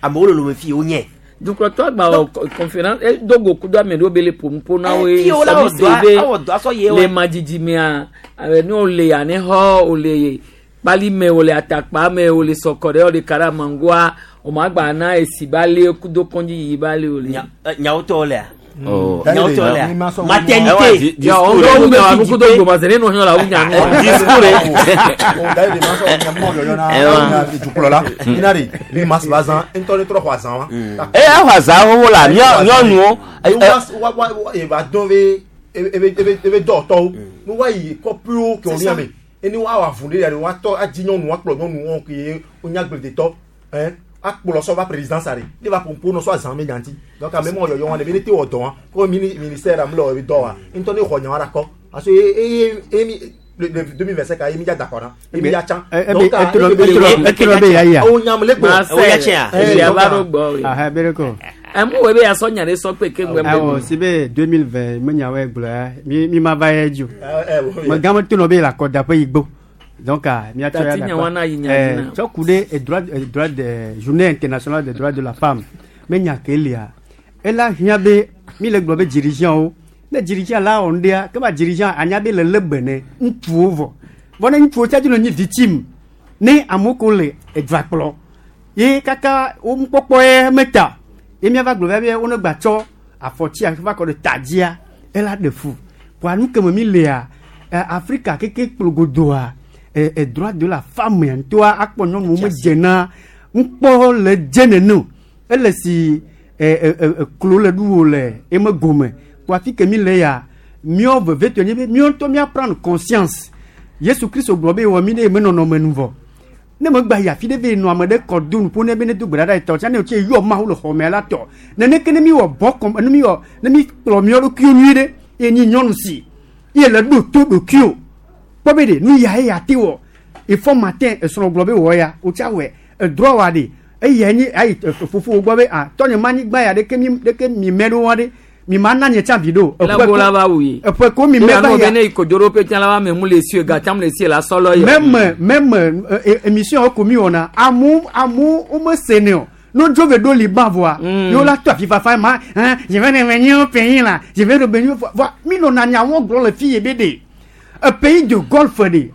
amewo le lome fi yewo nye Dukɔtɔ agba wɔ conférence e do go kudo ame ɖewo be le ƒo nuƒo na woe. Eh, fi wo la wɔ sɔmi dɔa- se be awɔ dɔa sɔ ye wa. le madzidzi mea ne wole anexɔ wole kpali me wole atakpa me wole sɔkɔ ɖe wole karamangoa wòma gba na esi ba le kudo kɔndzi yiyi ba le wole. Nyawo tɔwo lea Oh. nyawo tɔwo lea maternité Ya, o ŋutɔ wu nya nu kudo gbɔmase ne nɔ hɛn la wu nya nu. Dukplɔla ina de 8 mars ba zã ŋutɔ ne trɔ xɔ azã wa. Eye axɔ azã xoxo la nyɔnuwo. Wa wa wa eva dɔn be ebe ebe ebe dɔwɔtɔwo ne wa yi kɔƒewo ke wònya me ene wa wɔ avu ɖe ya wa tɔ adzi nyɔnu wa kplɔ nyɔnu wɔn ke wonya agbledetɔ ɛn akplɔ sɔ va présidence are ne va ƒoƒo nɔ sɔ azã me nyanti donc ame mɔ yɔyɔ wa de be ne te wɔ dɔ wa ko mini ministère am le wɔ ebe dɔ wa ŋutɔ ne xɔ nya wa ɖe akɔ parce que eye eye mi le 2025 eye mi dza da kɔ na eye mi dza tsã. Etrɔ be ya yia. O nyam le gbɔ. Aha, be ko. Ɛmu wo be asɔ nya ɖe sɔ kpe ke ŋgbɛ Awɔ si be 2020 me nyawo gblɔ ya mi mi ma va ye dzi o. Me gã me to nɔ be le akɔdaƒe yi gbɔ. Donc ah, miatsɔ ya Tati nya wana yi nya dzi na. Tsɔ ku ɖe droit de journée internationale des droits de la femme me nya ke lia. Ela hiã be mi le gblɔ be dirigeant wo ne dirigeant la wɔ ŋɖea ke ba dirigeant anya be le lé be ne ŋutsuwo vɔ. Vɔ ne ŋutsuwo tsa dzi le nyi victime ne amewo ko le edua kplɔ ye kaka wo nukpɔkpɔ ye meta ye miava gblɔ be wo ne gba tsɔ afɔtsi va kɔ ɖe ta dzia ela ɖe fu kɔa nu keme mi lea Afrika keke kplɔ godoa droit de la femme ya ŋutɔa akpɔ nyɔnuwo me dzena ŋkpɔ le dze nene o ele si klo le ɖuwo le eme gome kɔa fi ke mi le ya míawo vevetɔ nye be míawo ŋutɔ mía prendre conscience. Yesu Kristo gblɔ be wɔ mi ɖe eme nɔnɔme nu vɔ ne megba yi afi ɖe ve nɔ ame ɖe kɔ do nuƒo ne be ne do gbe ɖa ɖe etɔ tsã ne wòtse yɔ Mawu le xɔmea la tɔ neneke ne mi wɔ bɔ kɔm ne mi wɔ ne mi kplɔ miɔ ɖokuiwo nyuie ɖe eye nyi nyɔnu si ye le ɖo to ɖokuiwo kpɔ be ɖe nu ya ye ya te wɔ ifɔ matin esrɔ̃ gblɔ be wɔ ya wotsa wɔe edrɔ wa ɖe eya nyi ayi fofowo gbɔ be ah tɔnye ma anyigba ya ɖeke mi ɖeke mi mɛ ɖo wa ɖe mi ma na nye tsã vi ɖo La bo la va wu ye. eƒe ko mi mɛ va ya. ya Ne kodzoro pe tsã la va me mu le sie gatsam le sie la sɔlɔ ye. Même émission wo ko mi wɔna amewo amewo wome sene o no dzo ve ɖo liban vɔa yewo la to afi fafa ma hein je vais revenir au pays là, je vais revenir vɔa mi nɔna nyawo gblɔ le fi ye be de e pays de golfe de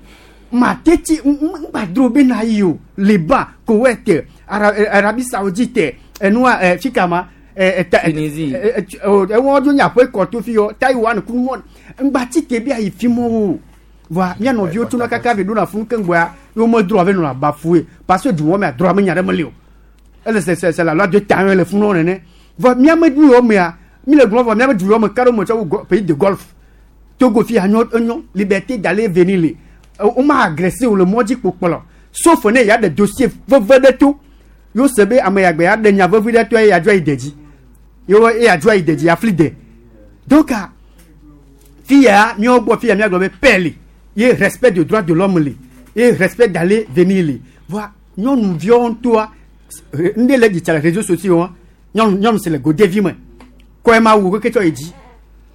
ma teti ŋgba dro be na yi o Liban, Koweït, Arabie Saoudite enua fi kama Tunisie. Ewɔn dzo nya ƒe kɔto fi yɔ Taiwan kunu mɔ ŋgba ti te bi ayi fi mɔwo voa mía nɔviwo tsona kaka ve ɖona funu keŋgbɔa ye wo medroa ve nɔna bafoué parce que duwɔ mea droa me nya ɖe meli o ele c'est la loi de temps le funu nene. Vɔ míame du yɔ mea, mi le gblɔ vɔ míame du yɔ me ka ɖo me tsɔ wu pays de golf. Togo fi anyɔ enyo liberté d'aller venir le. Wo ma agressé o le mɔ dzi kpo kplɔ. Sauf ne ya ɖe dossier veve ɖe to. Yo se be ame ya gbe ya ɖe nya vevi ɖe to eye ya dzo ayi de dzi. Yo eye ya dzo ayi de dzi ya fli de. Donc fi ya míawo gbɔ fi ya míagblɔ be paix li ye respect de droit de l'homme li ye respect d'aller venir li. Voa nyɔnuviawo ŋutɔa ŋɖe le dzi tsa le réseaux sociaux wa nyɔnu nyɔnu si le godevi me kɔe ma wu keke tsɔ yi dzi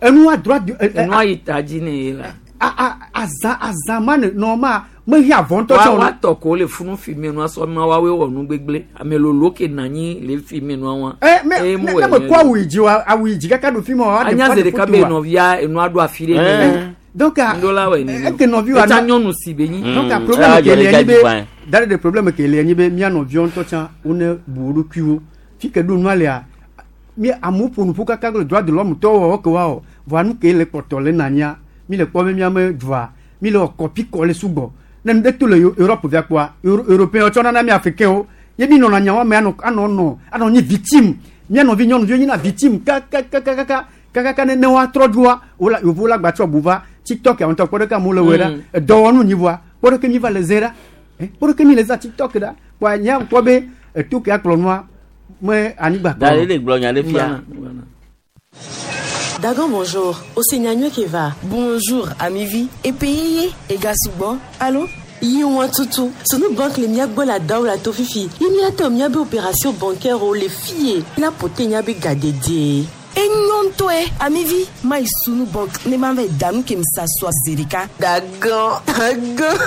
enua droit de Enua yi ta dzi ne ye la. a a azã azã ma ne nɔ ma mehiã vɔ ŋutɔ tsɛ o. Wa tɔ ko le funu fi me nua sɔ ma wa wɔ nu gbegble. Ame lolo ke na anyi le fi me nua wa. Ɛ me ne ne me kɔ awu yi dzi wa awu yi dzi kaka ɖo fi ma wa Anya ze ɖeka be nɔvia enua ɖo afi ɖe. Eh. Donc Ndola wɛ nene. eke nɔvi wa Etsa nyɔnu si be nyi. Donc problème ke le anyi be da ɖe problème ke le anyi be mía nɔviwo ŋutɔ tsã wone bu wo ɖokuiwo. Fi ke ɖo nua lea mi amewo ƒo nu ƒu kaka le droit de l'homme tɔwo wɔwɔ ke woawɔ. Vɔa nu ke le kpɔtɔ le nanya mi le kpɔ be míame dua mi le wɔ kɔpi kɔ le sugbɔ. Ne nu ɖe to le Europe via kpɔa Européen tsɔ nana mi Africain wo ye mi nɔna nyawo me anɔ anɔ nɔ anɔ nyi victime. Mía nɔvi nyɔnuviwo nyina victime kakakakaka kakaka ne ne woatrɔ dzoa wola yevuwo la gbatsɔ bu va TikTok ya ŋutɔ kpɔ ɖeke amewo le wɔe ɖa edɔwɔnu nyi vɔa kpɔ ɖeke mi va le ze ɖa kpɔ ɖeke mi le za TikTok ɖa kpɔa nya kpɔ be eto ke akplɔ nua me anyigba kplɔ. Da le gblɔ nya ɖe fia. Dagan bonjour, Osenyanywe Keva. Bonjour, amivi. Epeyeye, Egasugbo. Allô? Yi wọn tutu sunu banque le mia gbɔ la dawo la to fifi ye mia tɔ mia be opération bancaire o le fie la pote nya be gadede. Enyo ŋutɔe, amivi. Mayi sunu banque ne ma va yi da nu ke mi sa sɔa zi ɖeka. Dagan, dagan.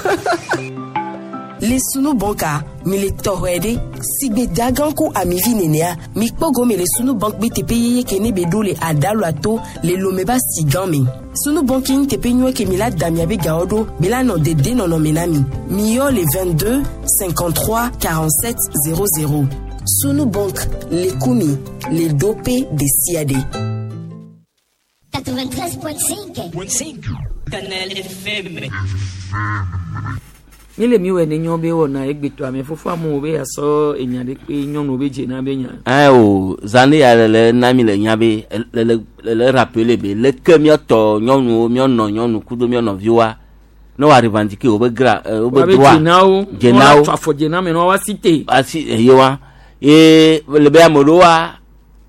Le sunu banka, mi le tɔxɔe ɖe. Sigbe dagan ku amivi nenea, mi kpɔ gome le sunu bank be teƒe yeye ke ne be ɖo le adalu ato le lome ba si gã me. Sunu bank nye teƒe nyuie ke mi la da miabe gawo ɖo be la nɔ dede nɔnɔme na mi. Mi yɔ le 22 53 47 00. Sunu bank le kumi le dope de sia ɖe. 93.5. Canal FM. Mi le mi wɔ ne nyɔ be wɔna egbetɔ ame fofo amewo be asɔ enya ɖe kpe nyɔnuwo be dzena be nya. Ɛ o zan ya le le na mi le nya be le le le le rappeler be leke míatɔ nyɔnuwo míanɔ nyɔnu kudo míanɔ nɔviwoa ne woa revendiquer wobe gra wobe Woabe droit dzenawo. dzenawo Woatsɔ afɔ dzena me ne woava si te. asi eye wa ye le be ame ɖewoa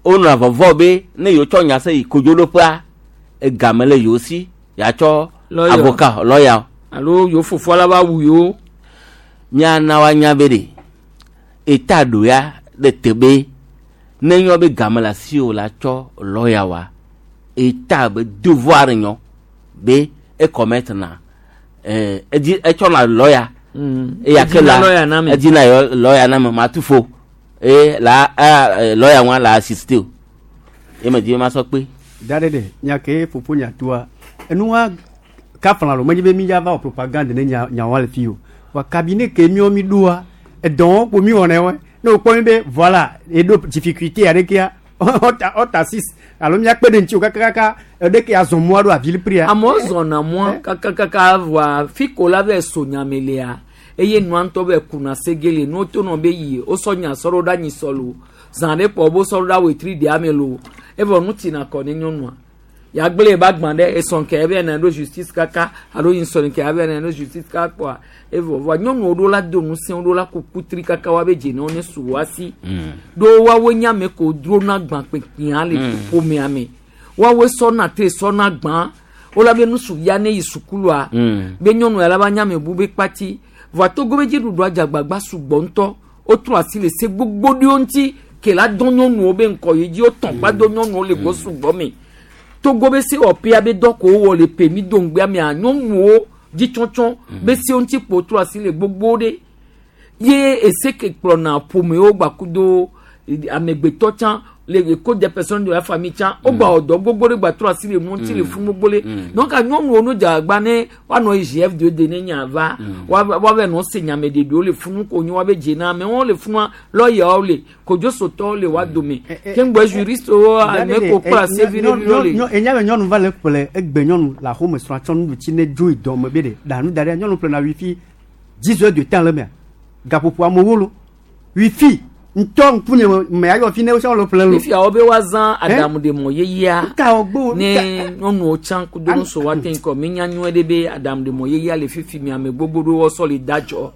wonɔna vɔvɔ be ne yewo tsɔ nya se yi kodzoɖoƒea egame le yewo si yatsɔ Lawyer. avocat lɔya. Alo yewo fofoa la va wu yewo. Míana woanya be ɖe eta ɖo ya ɖe te be ne nyɔ be game le asi o la tsɔ lɔya wa eta be devoir nyɔ be ekɔmɛt na ɛɛ edzi etsɔna lɔya. Eya ke Edina la lɔya na me. edina yɔ lɔya na me matufo eye la ɛ lɔya ŋua la assiste o ye me di be ma sɔ kpe. Da ɖe ɖe nya ke fofo nya toa enua kafla lo menye be mi ya va wɔ propagande ne nya nyawoa le fi o wa cabinet ke miɔ mi ɖoa edɔwɔ kpo mi wɔna wɔe ne wokpɔ mi be voilà eɖo difficulté aɖekea ɔta ɔta six alo miakpe ɖe ŋuti o kakakaka eɖeke azɔ mɔa ɖo avili pria. Amewo zɔna mɔa kakakaka voa fi ko la vɛ so nyame lea eye nua ŋutɔ bɛ kuna segele nuwo to nɔ be yi wosɔ nya sɔ ɖo ɖe anyi sɔ lo zã ɖe kpɔ wo sɔ ɖo ɖe awetri ɖea me lo evɔ nu tina kɔ ne nyɔnua yagble ba gbã ɖe esɔn ke ebe na ɖo justice kaka alo yi sɔn ke ebe na ɖo justice kaka kpɔa evɔ voa nyɔnuwo ɖo la do ŋusẽ wo ɖo la ku kutri kaka wa be dze ne wo ne su wa si ɖo woawoe nye ame ko drona gbã kpekpea le ƒomea me woawoe sɔna te sɔna gbã wola be nusuvia ne yi sukulua be nyɔnu ya la va nye ame bu be kpati voa togo be dziɖuɖua dzagbagba sugbɔ ŋutɔ wotrɔ asi le se gbogbo ɖewo ŋuti ke la dɔn nyɔnuwo be ŋkɔ yi dzi wotɔn kpa do nyɔnuwo le gbɔ sugbɔ me togo be sewɔƒea be dɔ ko wowɔ le pe mi do ŋgbea mea nyɔnuwo dzitsɔtsɔ be sewo ŋuti kpo trɔ asi le gbogbo ɖe ye ese ke kplɔna ƒomewo gbakudo amegbetɔ tsã le eko des personnes de la famille tsã wogba wɔ dɔ gbogbo ɖe gba trɔ asi le nu ŋuti le funu gbogbo ɖe donc nyɔnuwo no dze agba ne woanɔ yi gf de de ne nya va woava nɔ se nyame ɖeɖewo le funu ko nyi woabe dze na amewo le funua lɔyawo le kodzosotɔwo le woa dome keŋgbɔ juristewo ame ko kpla se vi ɖe viwo le. Enya be nyɔnu va le ƒle egbe nyɔnu le axome srɔ̃a tsɔ nuɖu tsi ne dzo yi dɔme be ɖe ɖa nu da ɖe nyɔnu ƒlena wifi 10 heures de temps le mea gaƒoƒo amewo lo wifi. Ŋutɔ ŋkunye me ayɔ fi ne wo le ƒle lo. Fifia wo be woazã aɖaŋuɖemɔ yeyea ne nyɔnuwo tsã kudo nuso woate ŋu kɔ mi nya nyuie ɖe be aɖaŋuɖemɔ yeyea le fifi mi ame gbogbo ɖewo sɔ le da dzɔ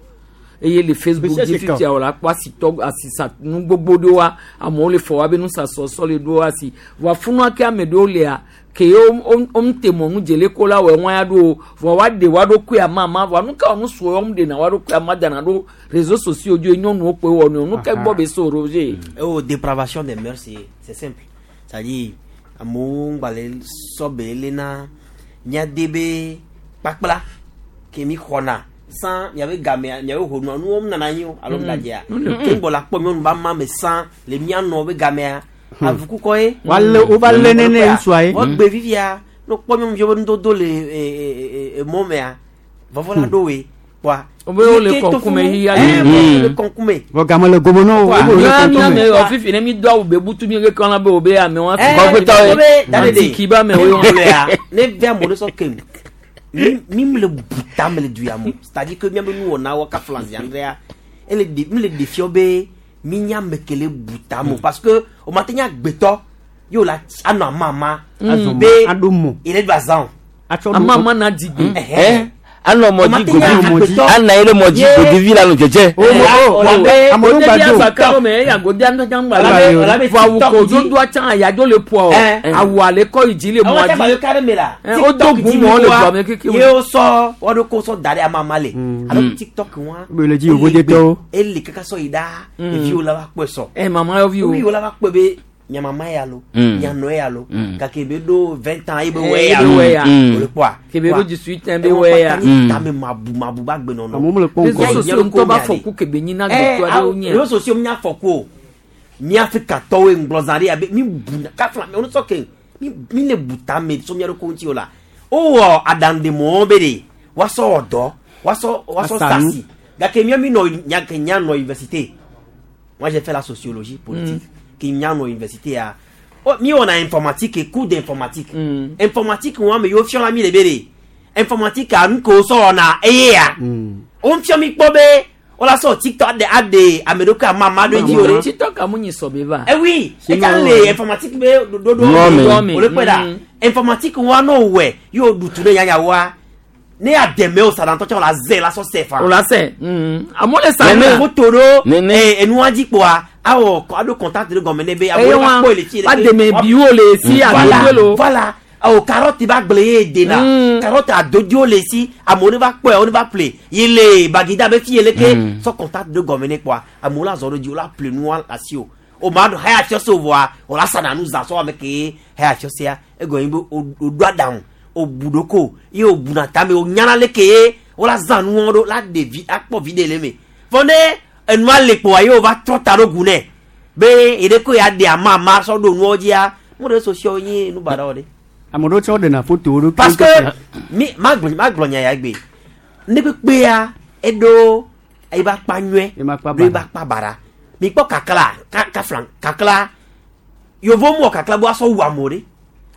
eye le Facebook dzi fifia wòle akpɔ asitɔ asisa nu gbogbo ɖewoa amewo le fɔ woabe nusasɔ sɔ le ɖo asi vɔa funua ke ame ɖewo lea ke wo wo te mɔ nu dzele ko la wɔ ŋua ya ɖo vɔa woaɖe woa ɖokui amama vɔa nu ka nu suɔ wɔm ɖena woa ɖokui ama dana ɖo réseaux sociaux dzi nyɔnuwo kpoe wɔ nu nu ke gbɔ be so Roger. Oh, dépravation des mœurs, c'est simple. C'est-à-dire, amewo ŋgba le sɔbe le na míade be kpakpla ke mi xɔna sans miabe game miabe honua nuwo nana anyi o alo ŋgadzea ke ŋgbɔ la kpɔ nyɔnu ba ma me sans le mianɔ be gamea avukukɔ ye. Wale wova lé nene ŋutsua ye. Wogbe vivia ne kpɔ nyɔnuviwo be nudodo le emɔ mea vɔvɔ la ɖo woe kpɔa. Obe wole kɔnkume hiya le. Wole kɔnkume. Vɔ game le gome nɔ wo. Mía mía me wɔ fifi ne mi do awu be butu mi ke kɔna be o be amewo afi. Kɔkutɔ ye. Antiki ba amewo ye. Ne vi amewo ɖe sɔ kem mi mi le buta me le du ya mo c'est à dire que miabe nuwɔna wɔ kafla ziandrea ele de mi le ɖe be mi nya ame ke le buta mo parce que o ma te nya gbetɔ ye la anɔ amama be ele do azã o. Amama na digbe. Anɔ mɔdzi godi ana ye ɖe mɔdzi godivi la nɔ dzedze. Amewo gba me eya godi ŋutɔ tsã ŋgba le vɔ awu ko dodo tsã ayadzo le ƒoa o awu ale kɔ yi dzi le mɔa dzi o do gu mɔ le dua me keke. Ye wo sɔ wɔɖo ko sɔ da ɖe amama le alo TikTok wa. Bele dzi yovo detɔwo. Ele kaka sɔ yi ɖa eviwo la va kpɔe sɔ. Ɛ mama yɔvi o. Viwo la va kpɔe be nyamama ya lo nyanɔ ya lo gake be ɖo 20 ans ye be wɛ ya lo o le kpɔa. Kebe ɖo 18 ans be wɛ ya. Tame mabu mabu ba gbe nɔnɔ. Amewo mele kpɔm kɔ. Réseaux sociaux ŋutɔ ba fɔku kebe nyi na gbetɔ aɖewo nye. Réseaux sociaux nya fɔku o. Mi Afrikatɔwoe ŋgblɔ zã ɖe abe mi bu kafla mi sɔ ke mi le bu tame so mia ɖokui ŋuti o la. Wowɔ aɖaŋudemɔwo be ɖe woasɔ wɔ dɔ woasɔ woasɔ sasi gake mía mi nɔ nya ke nya nɔ université. Moi j'ai fait la sociologie politique. Qui nya nɔ université ya. Oh, mi wɔna informatique cours d'informatique. Informatique wɔn ame yiwo fiɔla mi le be ɖe informatique a nu ko sɔ wɔna eye ya. Wo fiɔ mi kpɔ be wola sɔ TikTok aɖe aɖe ame ɖokui amama ɖo edzi o ɖe. TikTok amu nyi sɔ be va. Eh oui, etsa le informatique be ɖoɖo o le kpɛ ɖa. Informatique wa n'o wɛ y'o dutu ne yanya wa ne y'a dɛmɛ o sadantɔ tsɛ o la zɛ la sɔ sɛ fa. O la sɛ. Amewo le sa. Ne foto ɖo enua dzi kpoa awɔ aɖo contact ɖe gɔme ne be amewo va kpɔe le fi. Wa dɛmɛ biwo le si adodo lo. Voilà o carotte ba gble ye dena carotte adodo le si amewo ne va kpɔe wo ne va ƒle ye le bagida be fi ye leke sɔ contact ɖe gɔme ne kpoa amewo la zɔ ɖo dzi wo la ƒle nua asi o o ma ɖo haya fiɔ se o vɔa o la sana nu zã sɔ ame ke haya fiɔ sea egɔme ye be o ɖo aɖaŋu o bu ɖoko ye o buna tame o nyana leke ye wo la zã nuwo ɖo la ɖe vi akpɔ vi ɖe le me vɔ ne enua le kpoa ye o va trɔ ta ɖo gu nɛ be ye ɖe ko ya ɖe amama sɔ ɖo nuwo dzia mo ɖe sociaux nye nu baɖa wɔ ɖe. Ame ɖewo tsɛ woɖena fotowo ɖo. Parce que mi magblɔ magblɔ nya ya gbe ne kpekpea eɖo eba akpa nyuie ɖo eba akpa baɖa mi kpɔ kakla kafla kakla yovo mu wɔ kakla be woasɔ wu amewo ɖe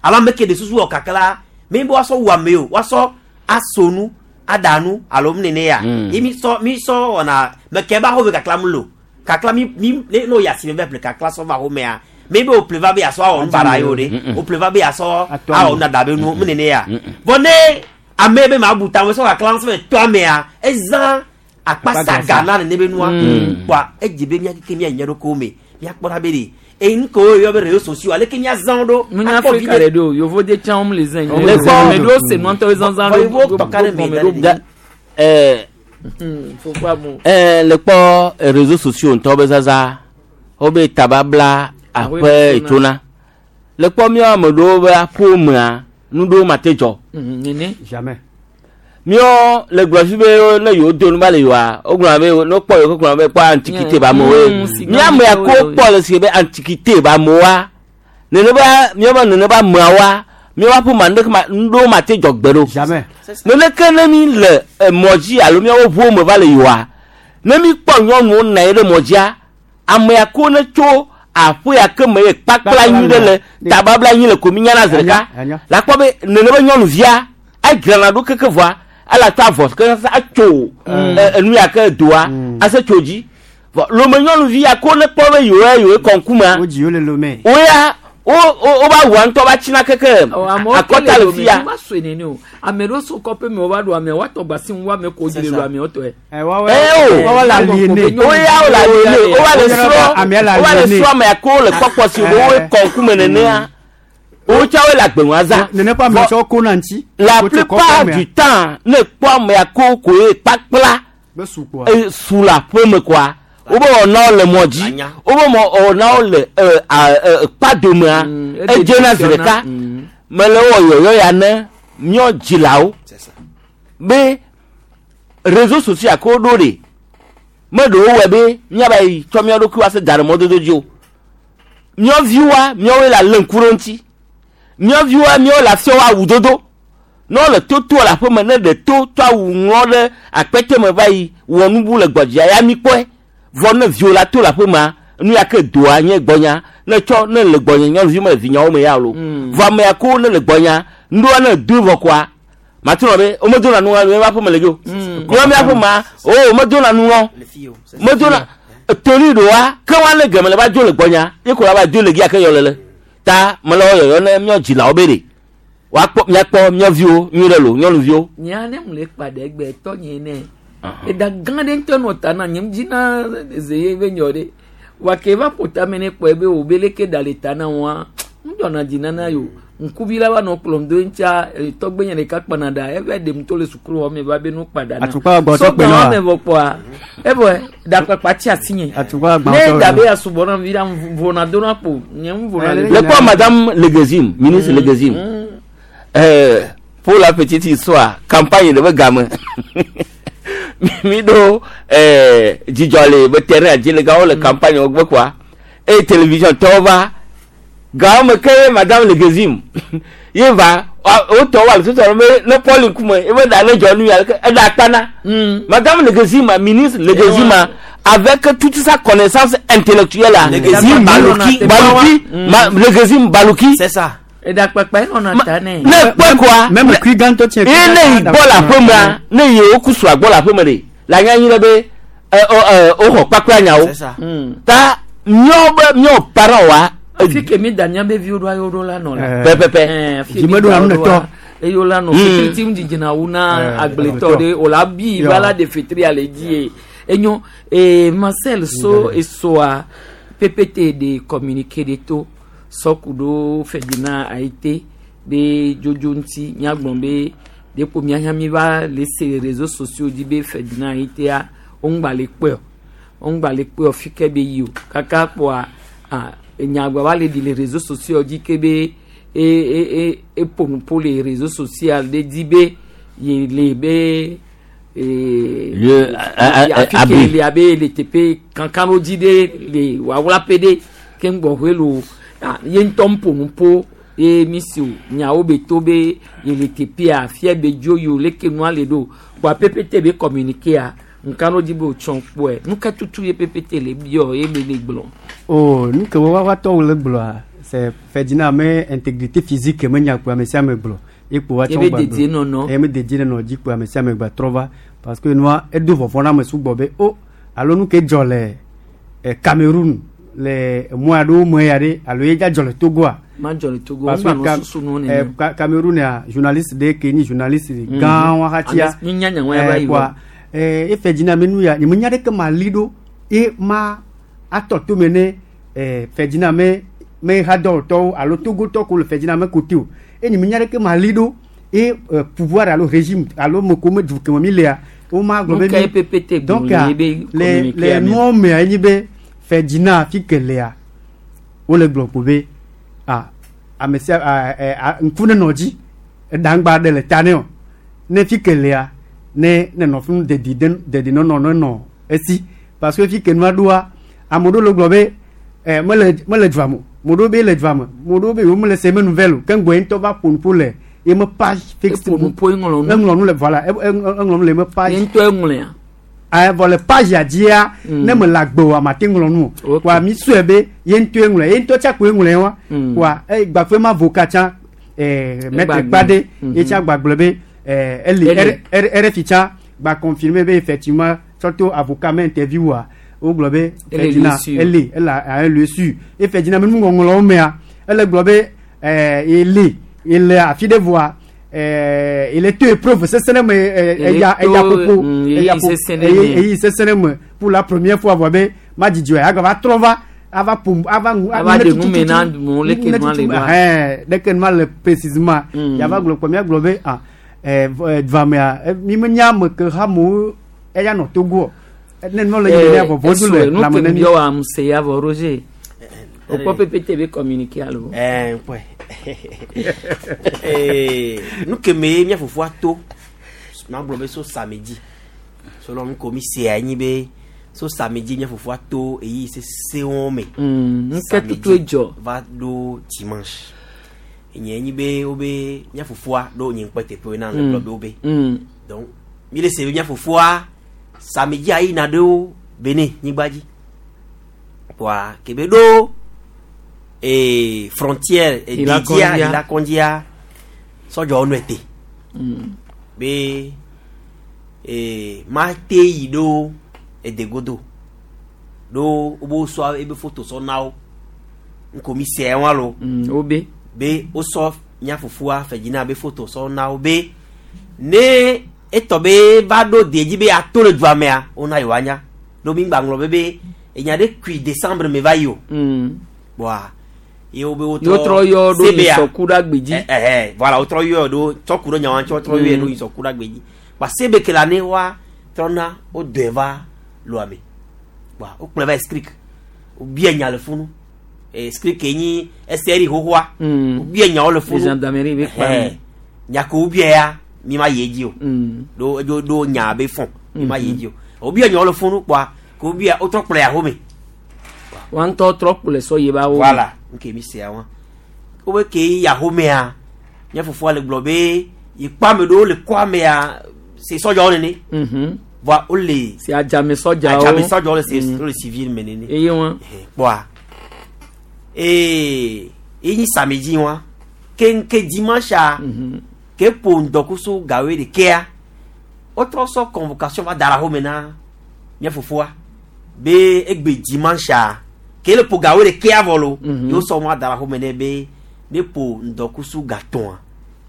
alo ame ke ɖe susu wɔ kakla mi be woasɔ wu ame o woasɔ aso nu aɖa nu alo mu nene ya ye mi sɔ mi sɔ wɔna meke ba xɔ be kakla mu lo kakla mi mi ne n'o yasi mi bɛ ƒle kakla sɔ va xɔmea mi be o ƒle va be yasɔ awɔ nu baɖa ye o ɖe o ƒle va be yasɔ awɔ nu dada be nu mu nene ya vɔ ne ame be ma bu ta me sɔ kakla sɔ to amea ezã akpasa gana nene be nua kpoa edze be mía keke mía nye ɖokuiwo me míakpɔ ɖa be ɖe eyi nu kewo yɔ be réseaux sociaux aleke míazã wo ɖo Munya Afrika ɖe ɖo yovo de tsã wɔm le zã yi. Le kpɔ ame ɖewo se nua ŋutɔ zazã ɖo yovo tɔ ka ɖe me da le kpɔ réseaux sociaux ŋutɔ be zazã wobe tababla aƒe etsona le kpɔ míawo ame ɖewo be aƒewo mea nu ɖewo ma te dzɔ. Nene. Jamais. Míawo le gblɔ fi be ne yewo do nu ba le yewoa wogblɔna be ne wokpɔ yewo gblɔna be kpɔ antiquité ba amewoe mía ame ya ko kpɔ le si be antiquité ba amewoa neneba míawo neneba ameawoa míawo aƒe ma nuɖeke ma nuɖewo ma te dzɔ gbe ɖo. Jamais. Neneke ne mi le emɔ dzi alo míawo ʋuwo me va le yewoa ne mi kpɔ nyɔnuwo nɔ anyi ɖe mɔ dzia ame ya ko ne tso aƒe ya ke me ye kpakpla nyui ɖe le tababla nyui le ko mi nyana zi ɖeka la kpɔ be nenebe nyɔnuvia edzrana ɖo keke vɔa ele atsɔ avɔ ke atso enu ya ke doa ase tso dzi. Vɔ Lome nyɔnuvi ya ko ne kpɔ be yewoa yewoe kɔ ŋkumea. Wodzi wo le Lome. Woya wo wo wova wua ŋutɔ va tsina keke akɔta le fi ya. Ame sɔe nene o. Ame ɖewo so kɔƒe me wova ɖo amea woatɔ gba si ŋu woame ko dzi le ɖo ameawo tɔe. Ee o. Woya wo le aliene. Wova le srɔ̃ wova le srɔ̃ amea ko le kpɔkpɔ si wo woe kɔ ŋkume nenea. Wo tsã woe le agbe ŋua zã. Nene ƒe ame tsɔ ko na ŋuti. La plupart du temps ne kpɔ amea ko koe kpakpla e su le aƒe me koa wobe wɔnawo le mɔ dzi wobe wɔnawo le kpadomea edzena zi ɖeka mele wɔ yɔyɔ ya ne míɔ dzilawo be réseaux sociaux ko ɖo ɖe meɖewo wɔe be míava yi tsɔ mía ɖokuiwo ase da ɖe mɔdodo dzi o míɔ viwoa míawoe le alé ŋku ɖe ŋuti míɔ viwoa míawoe le afiawo awu dodo ne wole toto le aƒeme ne ɖe to tsɔ awu ŋlɔ ɖe akpete me va yi wɔ nubu le gbɔdzia ya mi kpɔe vɔ ne viwo la to le aƒemea nu ya ke doa nye gbɔnya ne tsɔ ne le gbɔnye nyɔnuvi me le vinyawo me ya lo vɔ amea ko ne le gbɔnya nuɖoa ne doe vɔ koa mate nɔ be womedona nu le míaƒe aƒeme le dzi o míaƒe aƒemea o womedona nu ŋɔ medona toli ɖoa ke wa ne geme le va dzo le gbɔnya ye ko la va dzo le gia ke yɔ lele ta mele wɔ yɔyɔ ne míɔ dzilawo be ɖe woakpɔ míakpɔ mía viwo nyuie ɖe lo nyɔnuviwo. Nyea ne mu le kpa ɖe egbe tɔ nye ne. Eɖa gã ɖe ŋutɔ nɔ ta na nye dzi na ze ye be nyɔ ɖe. Wa ke va ƒo tame ne kpɔe be wo be leke ɖa le ta na wɔa. Ŋdzɔna dzi nana yo. Ŋkuvi la va nɔ kplɔm do ŋutsia tɔgbe nye ɖeka kpana ɖa eve ɖem to le sukulu xɔ me va be nu kpa ɖa na. Atukpa gbɔ tɔ kpe na. wa. Sɔgbã me vɔ kpɔa evɔ ɖakpakpa tsi asi nye. Atukpa gbɔ Ne tɔ da be asubɔ na vi la vona do na kpo nye ŋu vona le. Le kpɔ madame Legezim ministre Legezim pour la petite histoire campagne de be game mi ɖo dzidzɔ le be terrain dzi le gawo le campagne wo gbe kɔa eye télévision tɔwo va gawo me ke ye madame Legezim ye va wotɔ wa le tutu be ne Paul ŋkume ye be ɖa ne dzɔ nu ya ke eɖa akpa na madame Legezim ministre Legezim avec toute sa connaissance intellectuelle là Legezim Balouki. Balouki Legezim Balouki c'est ça Eɖakpakpa ye nɔna ta nɛ. ne kpɔe koa Même kui gãtɔ tiɛ. ye ne yi gbɔ le aƒemea ne yi wo kusu agbɔ le aƒeme ɖe le anya nyi ɖe be ɛ ɔ ɛ woxɔ kpakpla nyawo ta míawo be míawo parents wa Fi ke mi da míabe viwo ɖoa yewo ɖo la nɔ la. Pɛpɛpɛ. Ɛɛ, fi mi da wo ɖoa, Eyo la nɔ fetri ti ŋu dzidzina wu na agbletɔ ɖe o la bi va la de fetri ale dzi ye. Enyo ee Marcel so esoa PPT de communiqué de to sɔku ɖo Ferdinand Ayité be dzodzo ŋuti míagblɔ be ɖeko míahã mi va le se réseaux sociaux dzi be Ferdinand Ayitea woŋgba le kpɔe o woŋgba le kpɔe o fi ke be yi o kaka kpɔa ah enyagba va le ɖi le réseaux sociaux dzi ke be e e e eƒo nuƒo le réseaux social ɖe dzi be ye le be ee Le- a- a- afi ke abri. le abe le teƒe kankanɖodzi ɖe le wawlaƒe ɖe ke ŋgbɔƒe lo ah ye ŋutɔ ƒo nuƒo ye mi si o nyawo be to be ye le teƒea afia be dzo yi o leke nua le ɖo kpoa ppt be communiqué-a nkanɖodzi be wotsɔ kpɔe nu ka tutu ye ppt le biɔ ye be le gblɔ. Oh, nu ke wo wa tɔwo le gblɔa c'est Ferdinand me intégrité physique me nya kpo ame sia ame gblɔ ye kpo wa Ye tsɔ be gba dedienɔnɔ. gblɔ. Ye be dedienɔnɔ dzi kpo ame sia ame gba trɔ va parce que nua edo vɔvɔ na ame sugbɔ be o alo nu ke dzɔ le Cameroun le mɔ aɖewo me ya ɖe alo ye dza dzɔ le Togoa. Ma dzɔ le Togo Parce ŋgba que nɔ susu nuwo nene. Cameroun ya journaliste ɖe ke nyi journaliste gã wa hatia. Ame- mi nya nya wa va yi kpoa, e Ferdinand me nu ya nye me nya ɖeke ma li ɖo ye ma atɔ tome ne Ferdinand me me hadɔwɔtɔwo alo Togotɔ ko le Ferdinand me kote o e nye me nya ɖeke ma li ɖo ye pouvoir alo régime alo me ko me du ke me mi lea wo ma gblɔ Nu be ka ye mi- PPT gblɔ donc le ah, ye be le communiqué le a me? nuwo mea enyi be Ferdinand fi ke lea wole gblɔ ko be ah ame sia ah, ah, ŋku nenɔ dzi eɖaŋgba ɖe le ta ne o ne fi ke lea ne ne nɔ funu dedi de dedi nɔnɔ nenɔ esi parce que fi ke nua ɖoa ame ɖewo le gblɔ be ɛ mele mele dua me o ame ɖewo be le dua me ame ɖewo be yewo mele se me nouvelle o ke ŋgbɔ ye ŋutɔ va ƒo nuƒo le ye me page Eƒo nuƒo eŋlɔ nu. eŋlɔ nu le voilà eŋlɔ nu le ye me page Ye ŋutɔ eŋlɔea. Ah, vɔ le page ya dzia ne me le agbe oa mate ŋlɔ nu o wa mi sɔe be ye ŋutɔe ŋlɔe ye ŋutɔ tsa koe ŋlɔe wa wa eye gbafɛ ma avocat tsã maître Egba Kpade gblɔ. ye tsã gbagblɔ be eli Eli. RFI tsã gba confirmer be effectivement tsɔ to avocat me interview wa wogblɔ be Ele Ferdinand lieu sûr. ele ele a lieu sûr e Ferdinand be nuŋɔŋlɔwo mea ele gblɔ be ɛɛ ele ele afi ɖe voa ɛɛ ele to épreuve sesẽ ɖe me ɛɛ Ele eya to, eya ƒoƒo eya ɣeyiɣi ƒo sesẽ ɖe eye me. ɣeyiɣi sesẽ ɖe me pour la première fois vɔ be madzidzi o agava trɔ va ava ƒo ava ŋu Ava ɖe nu me na amewo, leke nua le ɖoa. ɛhɛn leke nua le précisément yava gblɔ kpɔ míagblɔ be ah ɛɛ vɔ- ɛ, dvamea ɛ, mi menya ame ke hamewo eya nɔ Togo ne nua le yi ɖe vɔvɔ du le nu lãme ke ne mi. biɔ wa amuse ya vɔ Roger o kpɔ pépé be communiqué alo. Ɛɛ kpɔe Ee, nu ke me mía fofoa to magblɔ be so samedi selon nu ko mi sea nyi be so samedi mía fofoa to eyi sesewo me. Nu ke tutu edzɔ. Va ɖo dimanche enye nyi be wobe mía fofoa ɖo nye ŋkpɛ teƒe na le gblɔ be wobe. Donc mi le se be mía fofoa samedi yina ɖo Benin nyigba dzi kpoa ke be ɖo ee frontière Ila dediа Kɔndia. Ila Kɔndia sɔdzɔwo nɔe te be ee ma te yi ɖo edegodo ɖo wobe sɔ ebe foto sɔ na wo ŋko mi se wa lo. Wobe. Be wosɔ mía fofoa Ferdinand be foto sɔ na wo be ne etɔ be va ɖo de dzi be ato le dua mea wona yewoa nya ɖo mi gba ŋlɔ be be enya ɖe kui décembre me va yi o. Bɔa ye wo be wotrɔ Ye wotrɔ yɔ ɖo CBA. nyisɔku ɖe agbedzi. Ɛ ɛ voilà wotrɔ yɔ ɖo tsɔku ɖo nyawa ŋuti wotrɔ yɔ ɖo nyisɔku ɖe agbedzi kpa sebe ke la ne wa trɔna wodɔe va loa me kpa wokplɔe va escric wobia nya le funu escric ke nyi SRI xoxoa wobia nyawo le funu Les gendarmerie be kpa Ɛhɛ. me. nya ke wobia ya mi ma yi edzi o ɖo edzo ɖo nya be fɔn mi ma yi edzi o wobia nyawo le funu kpa ke wobia wotrɔ kplɔe ahome Wa ŋutɔ trɔ kplɔe sɔ yi ba wo. Voilà, nke mi sea wa. Wobe ke yi ahomea, mía fofoa le gblɔ be yi kpɔ ame ɖewo le kɔ amea se sɔdzawo nene. Voa wole. Se adzame sɔdzawo. Adzame sɔdzawo le se wole civil me nene. Eye wa. Kpɔa ee ye nyi samedi wa ke dimanche ke ƒo ŋdɔkusu gawoe ɖekea wotrɔ sɔ convocation va da ɖe ahome na mía fofoa be egbe dimanche ke le ƒo gawoe ɖekea vɔ lo ye wosɔ nua da ɖe ahome nɛ be ne ƒo ŋdɔkusu gatɔ̃a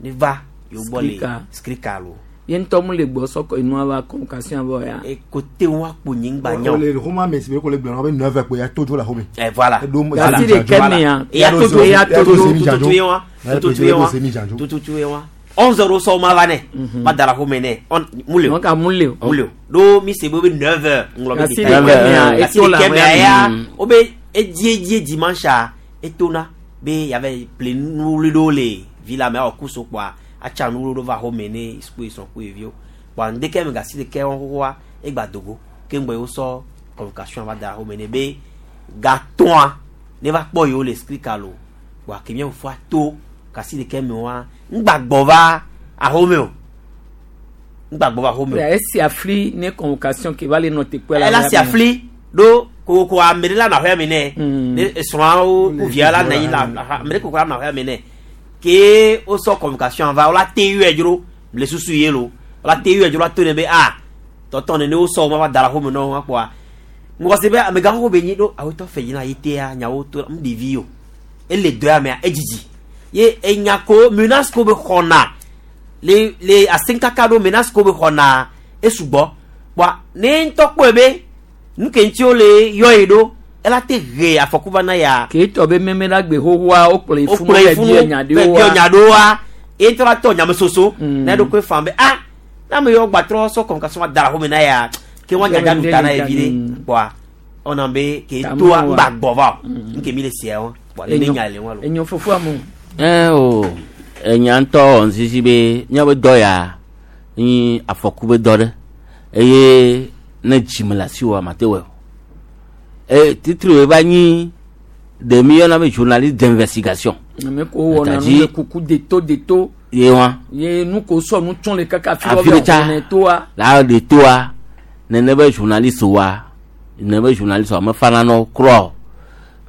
ne va yewo gbɔ le Skrika. skrika lo. Ye ŋutɔ mu le gbɔ sɔkɔ inua va convocation vɔ ya. Ekote wa kpo nyigba nya o. Le xɔma me si be ko le gblɔ na be 9h kpo ya to dzo le xɔme. Eh, voilà. Gasi ɖeke mea, Ya to dzo, ya to dzo. tututu ye wa, tututu ye wa, tututu ye wa. 11 heures sɔ ma va nɛ, ma da la xɔme nɛ. On mu le o. Donc mu le o. Mu le o. Ɖo mi se be be 9 heures ŋlɔ be Gasi détail. ɖeke mea, Gasi eto le ɖeke mea amea ya, me. wo be edie edie dimanche a, etona be yava ple nuwuli ɖewo le villa me awɔ kuso kpoa atsa nuwuli ɖewo va xɔme ne suku srɔ̃ ku ɖeviwo. Kpoa ŋdeke me gasi ɖeke wɔn xoxoa egba dogo keŋgbɔ ye wosɔ convocation va da ɖe xɔme nɛ be gatɔ̃a ne va kpɔ yewo le skrika lo kpoa ke mía fofoa to gasi ɖeke me wa ŋgba gbɔ va axome o ŋgba gbɔ va axome o. Ya esi afli ne convocation ke va le nɔ teƒe la. Ela si afli ɖo kokoko ame ɖe la nɔ aƒea me nɛ ne esrɔ̃awo ku via la nɔ anyi la ame ɖe kokoko la nɔ aƒea me nɛ ke wosɔ convocation va wola te yɔe dzro le susu ye lo wola te yɔe dzro la to ne be a tɔtɔ nene wosɔ wo ma va da ɖe axome nɔ wa kpoa ŋgɔsi be amegã xoxo be nyi ɖo awetɔ fɛ yina yi tea nyawo to mu ɖevi o ele dɔ ya mea edzidzi ye enya ko menace ko be xɔna le le asenkaka ɖo menace ko be xɔna esugbɔ kpoa ne ŋutɔ kpɔe be nu ke ŋuti wole yɔ yi ɖo ela te he afɔku va na ya. Ke tɔ be meme la gbe xoxoa wokplɔ yi funu wokplɔ yi bɛ funu biɛ nya bɛ ɖewoa. biɔ nya ɖewoa ye ŋutɔ la tɔ nyamesoso na eɖokui fan be ah na ame yawo gbatrɔ sɔ convocation va da ɖe axome na ya ke wa nyanya ɖu ta na ye vi ɖe kpoa ɔna be ke toa ŋgba gbɔ va o nke mi le sia wa kpoa ne nya le wa lo. Enyo fofoa mu. Ɛ o enya ŋutɔ wɔ ŋusisi be míaƒe dɔ ya nyi afɔku be dɔ ɖe eye ne dzime le asiwò mate wɔe o. E titri wo va nyi ɖe mi yɔna be journaliste d'investigation. Ame ko wɔna nu Tadzi- le kuku de to de to. Ye wa. Ye nu ko sɔ nu tsɔn le kaka fi Afi ɖe tsa. ne toa. La de toa nene be journaliste wa nene be journaliste wa mefana nɔ kura o.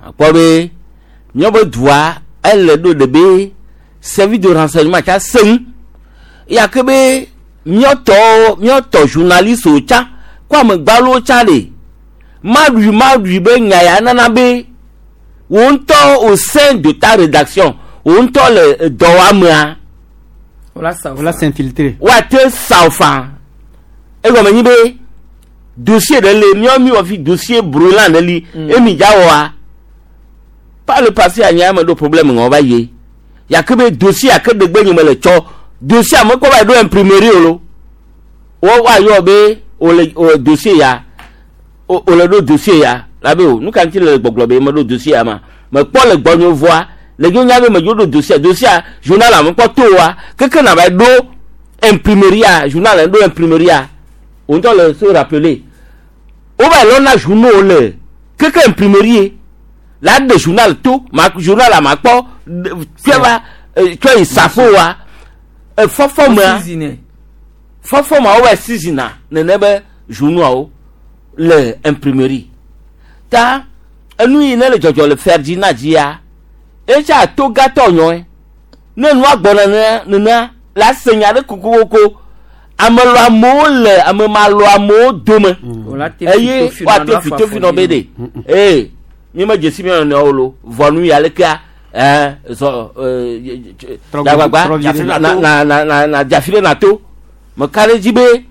Akpɔ be míaƒe dua ele ɖo ɖe be service de renseignement tsa seŋ ya ke be míatɔwo míatɔ journaliste wo tsa ko amegbalowo tsa ɖe Maɖui maɖui be nya ya nana be wò ŋutɔ au sein de ta rédaction wò ŋutɔ le dɔwɔamea. Wòla s'infiltrer. Woate sa fa. Egɔme nyi be dossier ɖe le míawo mi wɔ fi dossier brûlant ɖe li emi dza wɔa. Par le passé anya me ɖo problème ŋɔ va ye. Yake be dossier ake ɖegbe nye me le tsɔ dossier ame kɔ va yi ɖo imprimerie o lo. Wo woayɔ be wòle o dossier ya o wòle ɖo dossier ya la be o nu ka ŋuti le gbɔgblɔ be meɖo dossier ya ma mekpɔ le gbɔnye vɔa le dzo nya be medzo ɖo dossier dossier journal ame kpɔ to wa keke na va ɖo imprimerie journal ɖo imprimerie o ŋutɔ le se rappeler wo va lɔna journaux le keke imprimerie la ɖe journal to ma journal ma kpɔ fia va tsɔ yi safo wa efɔfɔ mea fɔfɔ ma wo va seasona nene be journaux le imprimerie ta enu yi ne le dzɔdzɔ le Ferdinand dzia etsa to gatɔ nyɔe ne nua gbɔ nenea nenea la se nya ɖe kokokoko ame lɔ amewo le ame ma lɔ amewo dome eye woate fi tofi nɔ be ɖe ee mi me dzesi mi nɔnɔewo lo vɔ nu ya lekea ɛɛ zɔ ɛɛ dagbagba na na na na na dzafi ɖe na to meka ɖe dzi be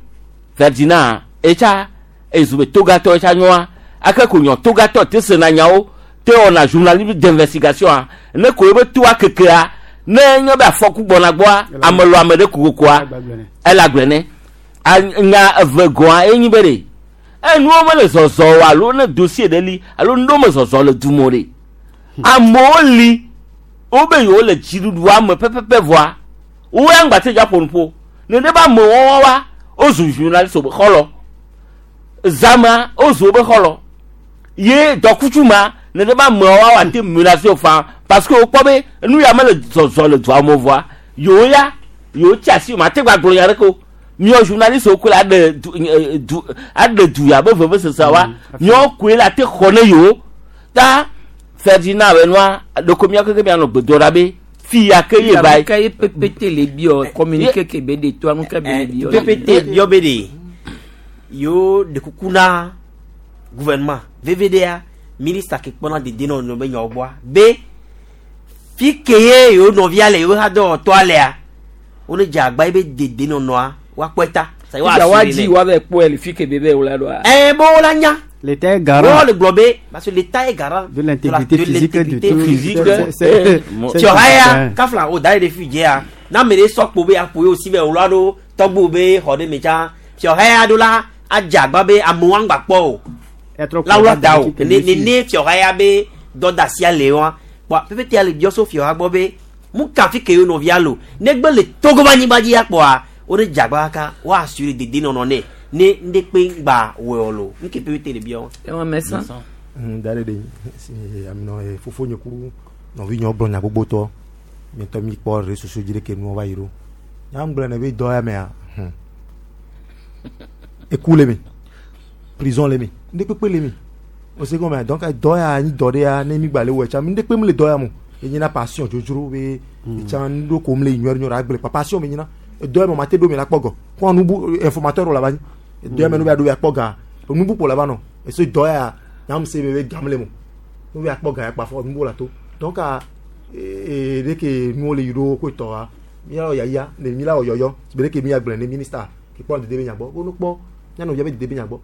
Ferdinand etsa ezu be togatɔ etsa nyɔa ake ko nyɔ togatɔ te sena nyawo te wɔna journalisme d'investigation a ne ko ebe toa kekea ne nye be afɔku gbɔna gbɔa ame lɔ ame ɖe kokokoa ele agblẽ ne nya eve gɔa enyi be ɖe enuwo mele zɔzɔ o alo ne dossier ɖe li alo nuɖewo me zɔzɔ le du me o ɖe amewo li wobe yewo le dziɖuɖua me pɛpɛpɛ vɔa wo ya ŋgba te dza ƒo nuƒo ne ɖe be amewo wa wozu journaliste be xɔlɔ zama wozu wobe xɔlɔ ye dɔkutsu ma ne ɖe be amewo wa ate menace wo faa parce que wokpɔ be nu ya mele zɔzɔ le dua me vɔa yewo ya yewo tsi asi ma te gba gblɔ nya ɖeke o miɔ journaliste wo koe la ɖe du du aɖe du ya be vevesese wa miɔ koe la te xɔ ne yewo ta Ferdinand be nua ɖeko mia keke mianɔ gbedoɖa be fi ya ke ye ba yi. Ka ye PPT le biɔ communiqué ke be de toa nu ke be le biɔ. PPT biɔ be de yewo ɖe kuku na gouvernement VVDA ministre ke kpɔna dedienɔnɔ be nyawo gbɔa be fi ke ye yewo nɔvia le yewo hadɔwɔtɔa lea wone dze agba ye be dedienɔnɔa woakpɔe ta. Fifia woadzi woava kpɔe le fi ke be be wòla ɖoa. Ɛɛ be wola nya. L'État est garant. Wo le gblɔ be parce que l'État est garant de l'intégrité physique de tout. Physique. Tiɔha ya kafla o da ye ɖe fi dzea na ame ɖe sɔ kpo be aƒo ye osi be wòla ɖo tɔgbu be xɔ ɖe me tsã tiɔha ya ɖo la adze agba be amewo aŋgba kpɔ o la wòla da o ne ne tiɔha ya be dɔdasia le wa kpɔa pɛpɛtɛ le biɔ so fiɔha gbɔ be mu ka fi ke ye nɔvia lo negbe le Togo be anyigba dzi ya kpɔa wo ɖe dze agba kaka wo assuré dedienɔnɔ nɛ ne ŋɖe kpe ŋgba wɔe o lo nuke pɛpɛtɛ le biɔ. Ewa mɛsa. Da ɖe ɖe aminɔ fofonye ku nɔvinyewo gblɔ nya gbogbotɔ mietɔ mi kpɔ ɖe susu dzi ɖeke nuwo va yi ɖo nya ŋgblɔ ne be dɔ ya mea eku le mi prison le mi ŋɖe kpekpe le mi o se gɔmea donc dɔ ya nyi dɔ ɖe ya ne mi gba le wɔ tsa ŋɖe kpe mi le dɔ ya mo enyina passion dzodzro be etsa ŋɖo ko mi le nyɔ nyɔ agble pa passion mi nyina edɔ ya me ma te ɖo mi la kpɔ gɔ kɔ nubu informateur la va nyi edɔ ya me nu be aɖo ya kpɔ ga nubu kpo la va nɔ ese dɔ ya nyam se be gam le mo nu be akpɔ ga ya kpa fɔ nubu la to donc a ee ɖe ke nuwo le yi ɖo ko tɔ wa mía wɔ yaya ne mi la wɔ yɔyɔ be ɖe ke mi agblẽ ne ministre ke kpɔ dede be nya gbɔ wo no kpɔ nyanɔvia be dede be nya gbɔ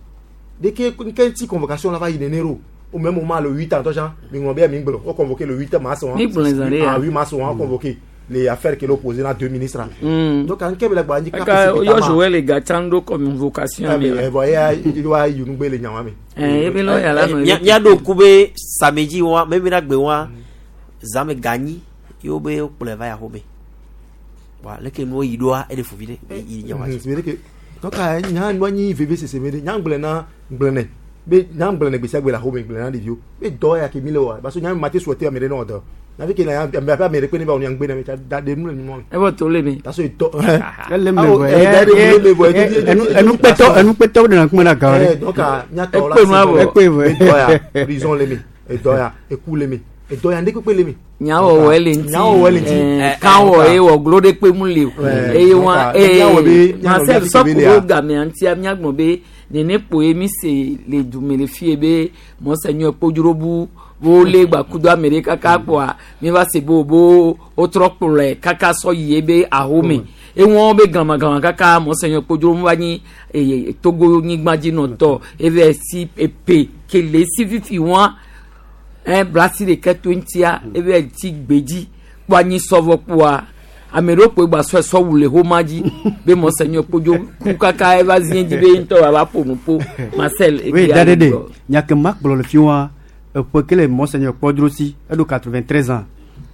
ɖe ke nke ŋuti convocation la va yi nene ɖo au même moment le 8 ans tɔjan mi ŋlɔ be mi gblɔ wo convoqué le 8 mars Mi gblɔ zan ɖe ya. ah 8 mars wɔn convoqué les affaires qui l'opposé na deux ministres donc nke be le gba anyi Aka yɔ Joël Gatsan ɖo convocation mi la. bɔn eya wa yi nugbe le nyawa me. Ɛɛ ebe lɔ yàrá nɔ. Míaɖo ŋku be samedi wa memi na gbe wa zame ganyi yewo be wokplɔe va yaxome wa leke nuwo yi ɖoa eɖe fuvi ɖe yi nyawa dzi. C'est que donc nya nua nyi veve sese me ɖe nya gblẽ na gblẽ nɛ be nya gblẽ nɛ gbe sia gbe le axome gblẽ na ɖeviwo be dɔ ya ke mi le wa parce que nya ma te souhaiter ame ɖe ne wɔ dɔ nyavi ke na ame abe ame ɖe kpe ne ba wɔ nya ŋgbe na me tsa da ɖe nu le nu me. Ebɔ to le mi. Parce que dɔ. Ele me vɔ enukpɛtɔ enukpɛtɔ de na kuma na gawo ɖe. Donc nyatɔ la Ekpe nu abɔ. Ekpe vɔ. Edɔ ya prison le mi edɔ ya eku le mi edɔ ya ŋɖe le mi. Nyawɔwɔ le ŋuti. Nyawɔwɔ le ŋuti. Ɛɛ kanwɔ ye wɔ glo ɖe kpe mu le o. Eye wa Nyawɔ be ee Marcel sɔku ɖo gamea ŋutia miagblɔ be Nene kpoe mi se le dume le fie be monseigneur Kpodzrobu wo le gbakudo ame ɖe kaka kpoa mi va se bo bo wotrɔ kplɔe kaka sɔ yi ebe ahome ewɔn be glamaglama kaka monseigneur Kpodzrobu va nyi eye Togo nyigbadzinɔtɔ eve si epe kele si fifi wɔn ɛ blasi ɖeke to ŋutia eve ti gbedzi kpɔ anyi sɔvɔ kpoa ame ɖewo kpoe gba sɔe sɔ wu le xoma dzi be monseigneur Kpodzo ku kaka eva zi dzi be ŋutɔ wòava ƒo nu ƒo Marcel. Oui, dadede nya ke ma gblɔ le fi wa eƒe ke le monseigneur Kpɔdro si eɖo 93 ans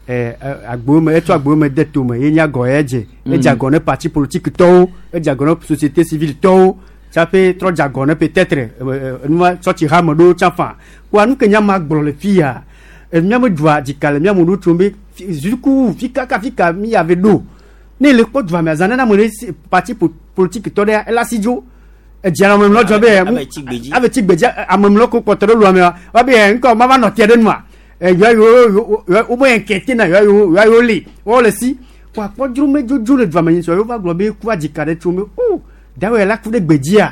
ɛ agbowo me etsɔ agbowo me de tome ye nye agɔ ya dze edze agɔ ne parti politique tɔwo edze agɔ ne société civile tɔwo tsaƒe trɔ dze agɔ ne peut-être nua tsɔtsi hame ɖewo tsã fa kpoa nu ke nya ma gblɔ le fi ya miame dua dzika le miame ɖo tsom be zuku fi kaka fi ka mi ave ɖo ne le kpɔ dua me azã nana ame ɖe si parti politique tɔ ɖe ela si dzo edzi ame mlɔ dzɔ be ave tsi gbedzi ame mlɔ ko kpɔtɔ ɖe lua mea wa be ŋkɔ ma va nɔ tia ɖe nua yɔ yo wo be inquiété na yɔ yo yɔ yo li wo le si kò akpɔdzro me dzodzo le dua me nyi sɔ yɔ va gblɔ be ku adzika ɖe tso me o dawe la ku ɖe gbedzia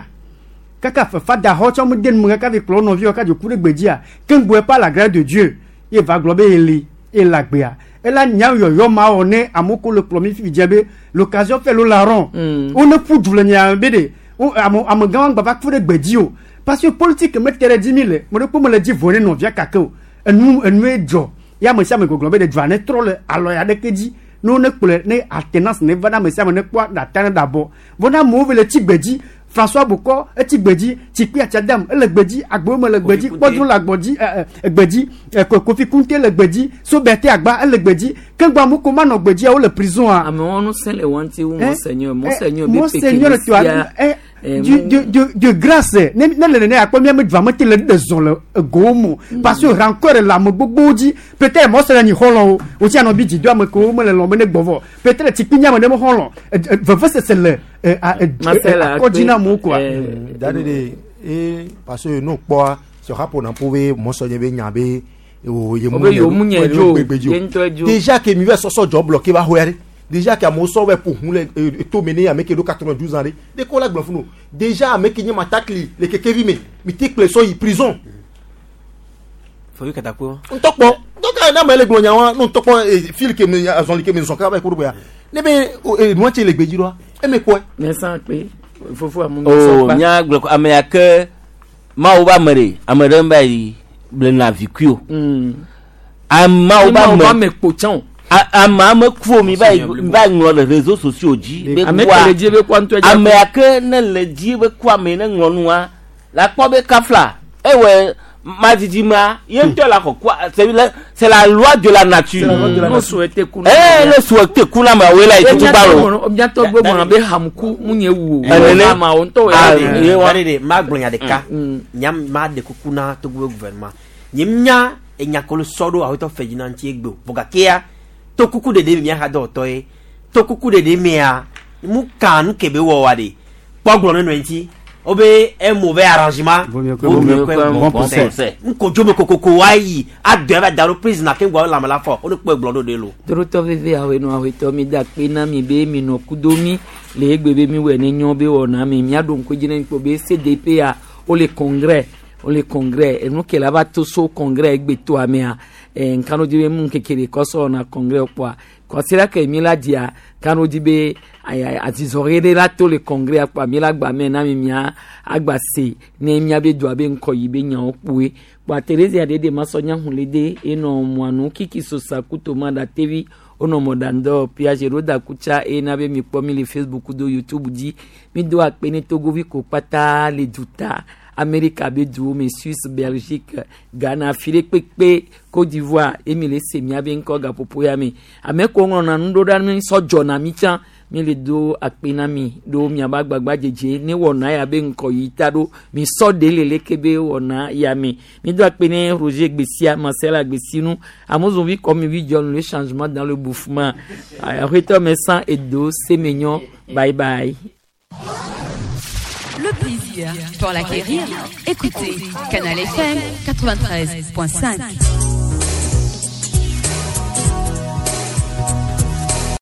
kaka fefa da xɔ tsɔ me de nu kaka vi kplɔ nɔviwo kaka dzo ku ɖe gbedzia keŋgbɔe par la grâce de Dieu ye va gblɔ be yeli ye le agbea ela nya yɔyɔ ma wɔ ne amewo ko le kplɔ mi fifi dze be l'occasion fait le larron wo ne ƒu du le nya be de wo ame amegã wa gba va ku ɖe gbedzi o parce que politique me te ɖe dzi mi le me ɖe kpo me le dzi vo ne nɔvia kake o enu enue dzɔ ya ame sia ame gbɔgblɔ be de dua ne trɔ le alɔ ya ɖeke dzi ne wo ne kplɔe ne alternance ne va na ame sia ame ne kpɔ ɖata ne ɖabɔ vɔ ne amewo ve le tsi gbedzi François Bokɔ etsi gbedzi Tsikpi Atsiadam ele gbedzi Agbowo me le gbedzi Kpɔdro le agbɔdzi ɛ ɛ gbedzi ɛ Kofi Kunte le gbedzi Sobɛte Agba ele gbedzi keŋgbɔ amewo ko manɔ gbedzia wole prison a. Amewo ŋusẽ le wɔn ti wu monseigneur monseigneur be monseigneur peke toa sia ɛ de grâce ne ne le nene akpɔ miame dua me te le ɖe zɔn le egowo mo parce que rancœur le ame gbogbowo dzi peut-être monseigneur nyi xɔlɔ̃wo wotsi anɔ bi dzi do ame kewo mele lɔm be ne gbɔ vɔ peut-être tsikpi nye ame ɖe me xɔlɔ̃ vevesese le akɔdzi na amewo koa. Dade de e parce que n'o kpɔa sɔxa ƒona ƒo be monseigneur be nya be o ye Obe yewo nye dzo, ye ŋutɔ dzo. Déjà ke mi va sɔsɔ dzɔ bloqué va xɔya ɖe déjà ke amewo sɔ va ƒo hu le to me ne ame ke ɖo 92 ans ɖe de ko la gblɔ funu déjà ame ke nye matakli le kekevi me mi te kple sɔ yi prison. Fɔwi katakpo. Ŋutɔkpɔ ŋutɔka ne ame le gblɔ nyawa ne ŋutɔkpɔ fil ke me azɔli ke me zɔn kaba yi ko ɖo ya ne be nua tse le gbedzi ɖoa eme kɔe. Mɛsan kpe fofo amu o nya gblɔ ko ame ya ke mawu ba ame ɖe ame ɖe ba yi blena vikui o. Amawo ba Mawu ba ame ame kpo tsã o. Ame ame ku o mi va yi mi va ŋlɔ le réseaux sociaux dzi. Be Ame kua ke le dzi be kua ŋutɔ dzi ame ya ke ne le dzi be ku ame ne ŋlɔ nua la kpɔ be kafla ewɔ madidi ma ye ŋutɔ la xɔ kua c'est la loi de la nature. C'est la loi de la nature. No souhaité ku na Eh, ne souhaité ku na ma wo la yi tutu ba lo. Miatɔ gbɔ gbɔna be hamuku mu nye wu o. Enene. Ama wo ŋutɔ wɔ Ah, ya de. ye wa. Dade de ma gblɔ nya ɖeka nya ma ɖe kuku na Togo be gouvernement nye nya enya ko le sɔ ɖo awetɔ fɛ dzina ŋuti egbe o vɔ gakea to kuku ɖeɖe mi mia ha dɔwɔtɔ ye to kuku ɖeɖe mia mu kan nu ke be wɔ wa de kpɔ gblɔ ne nɔ ŋuti wo be un mauvais arrangement Vaut mieux que vaut bon mieux que bon bon conseil. conseil nkodzo me kokoko wa yi adɔ eva da ɖo prison ake ŋgɔ lãme la fɔ wo ne kpɔe gblɔ ɖo ɖe lo. Torotɔ veve awenu awetɔ mi da kpe na mi be mi nɔ kudo mi le egbe be mi wɔ ne nyɔ be wɔna mi miaɖo ŋku dzi ne kpɔ be CDP ya wole congrès wole congrès enu ke la va to so congrès egbe to amea ɛ nkanu dzi be mu keke ɖe kɔsɔ wɔna congrès kpɔa kɔsira ke mi la dzia kanu dzi be azizɔɣi ɖe la to le congrès kpɔa mi la gba mɛ na mi mia agba se ne mia be dua be ŋkɔ yi be nyawo kpoe kpɔa Thérésia ɖe de masɔ nya hun le de enɔ mɔanu kiki sosa kuto ma da tevi wonɔ mɔɖaŋdɔ piage ɖo da kutsa eye na be mi kpɔ mi le Facebook do YouTube dzi mi do akpe ne togovi ko kpata le duta Amerika be duwo me Suisse Belgique Ghana afi ɖe kpekpe Côte d'Ivoire eye mi le se miabe ŋkɔ gaƒoƒo ya me ame ko ŋlɔna nu ɖo ɖa mi sɔ dzɔna mi tsã mi le do akpe na mi ɖo miabe agbagba dzedze ne wɔna ya be ŋkɔ yi ta ɖo mi sɔ ɖe le leke be wɔna ya me mi do akpe ne Roger Gbesia Marcel Agbesinu Amozonvi kɔ mi vi dzɔ le changement dans le bouffement aƒetɔ me san edo semenyɔ bye bye. Le plaisir pour l'acquérir, écoutez Canal FM 93.5.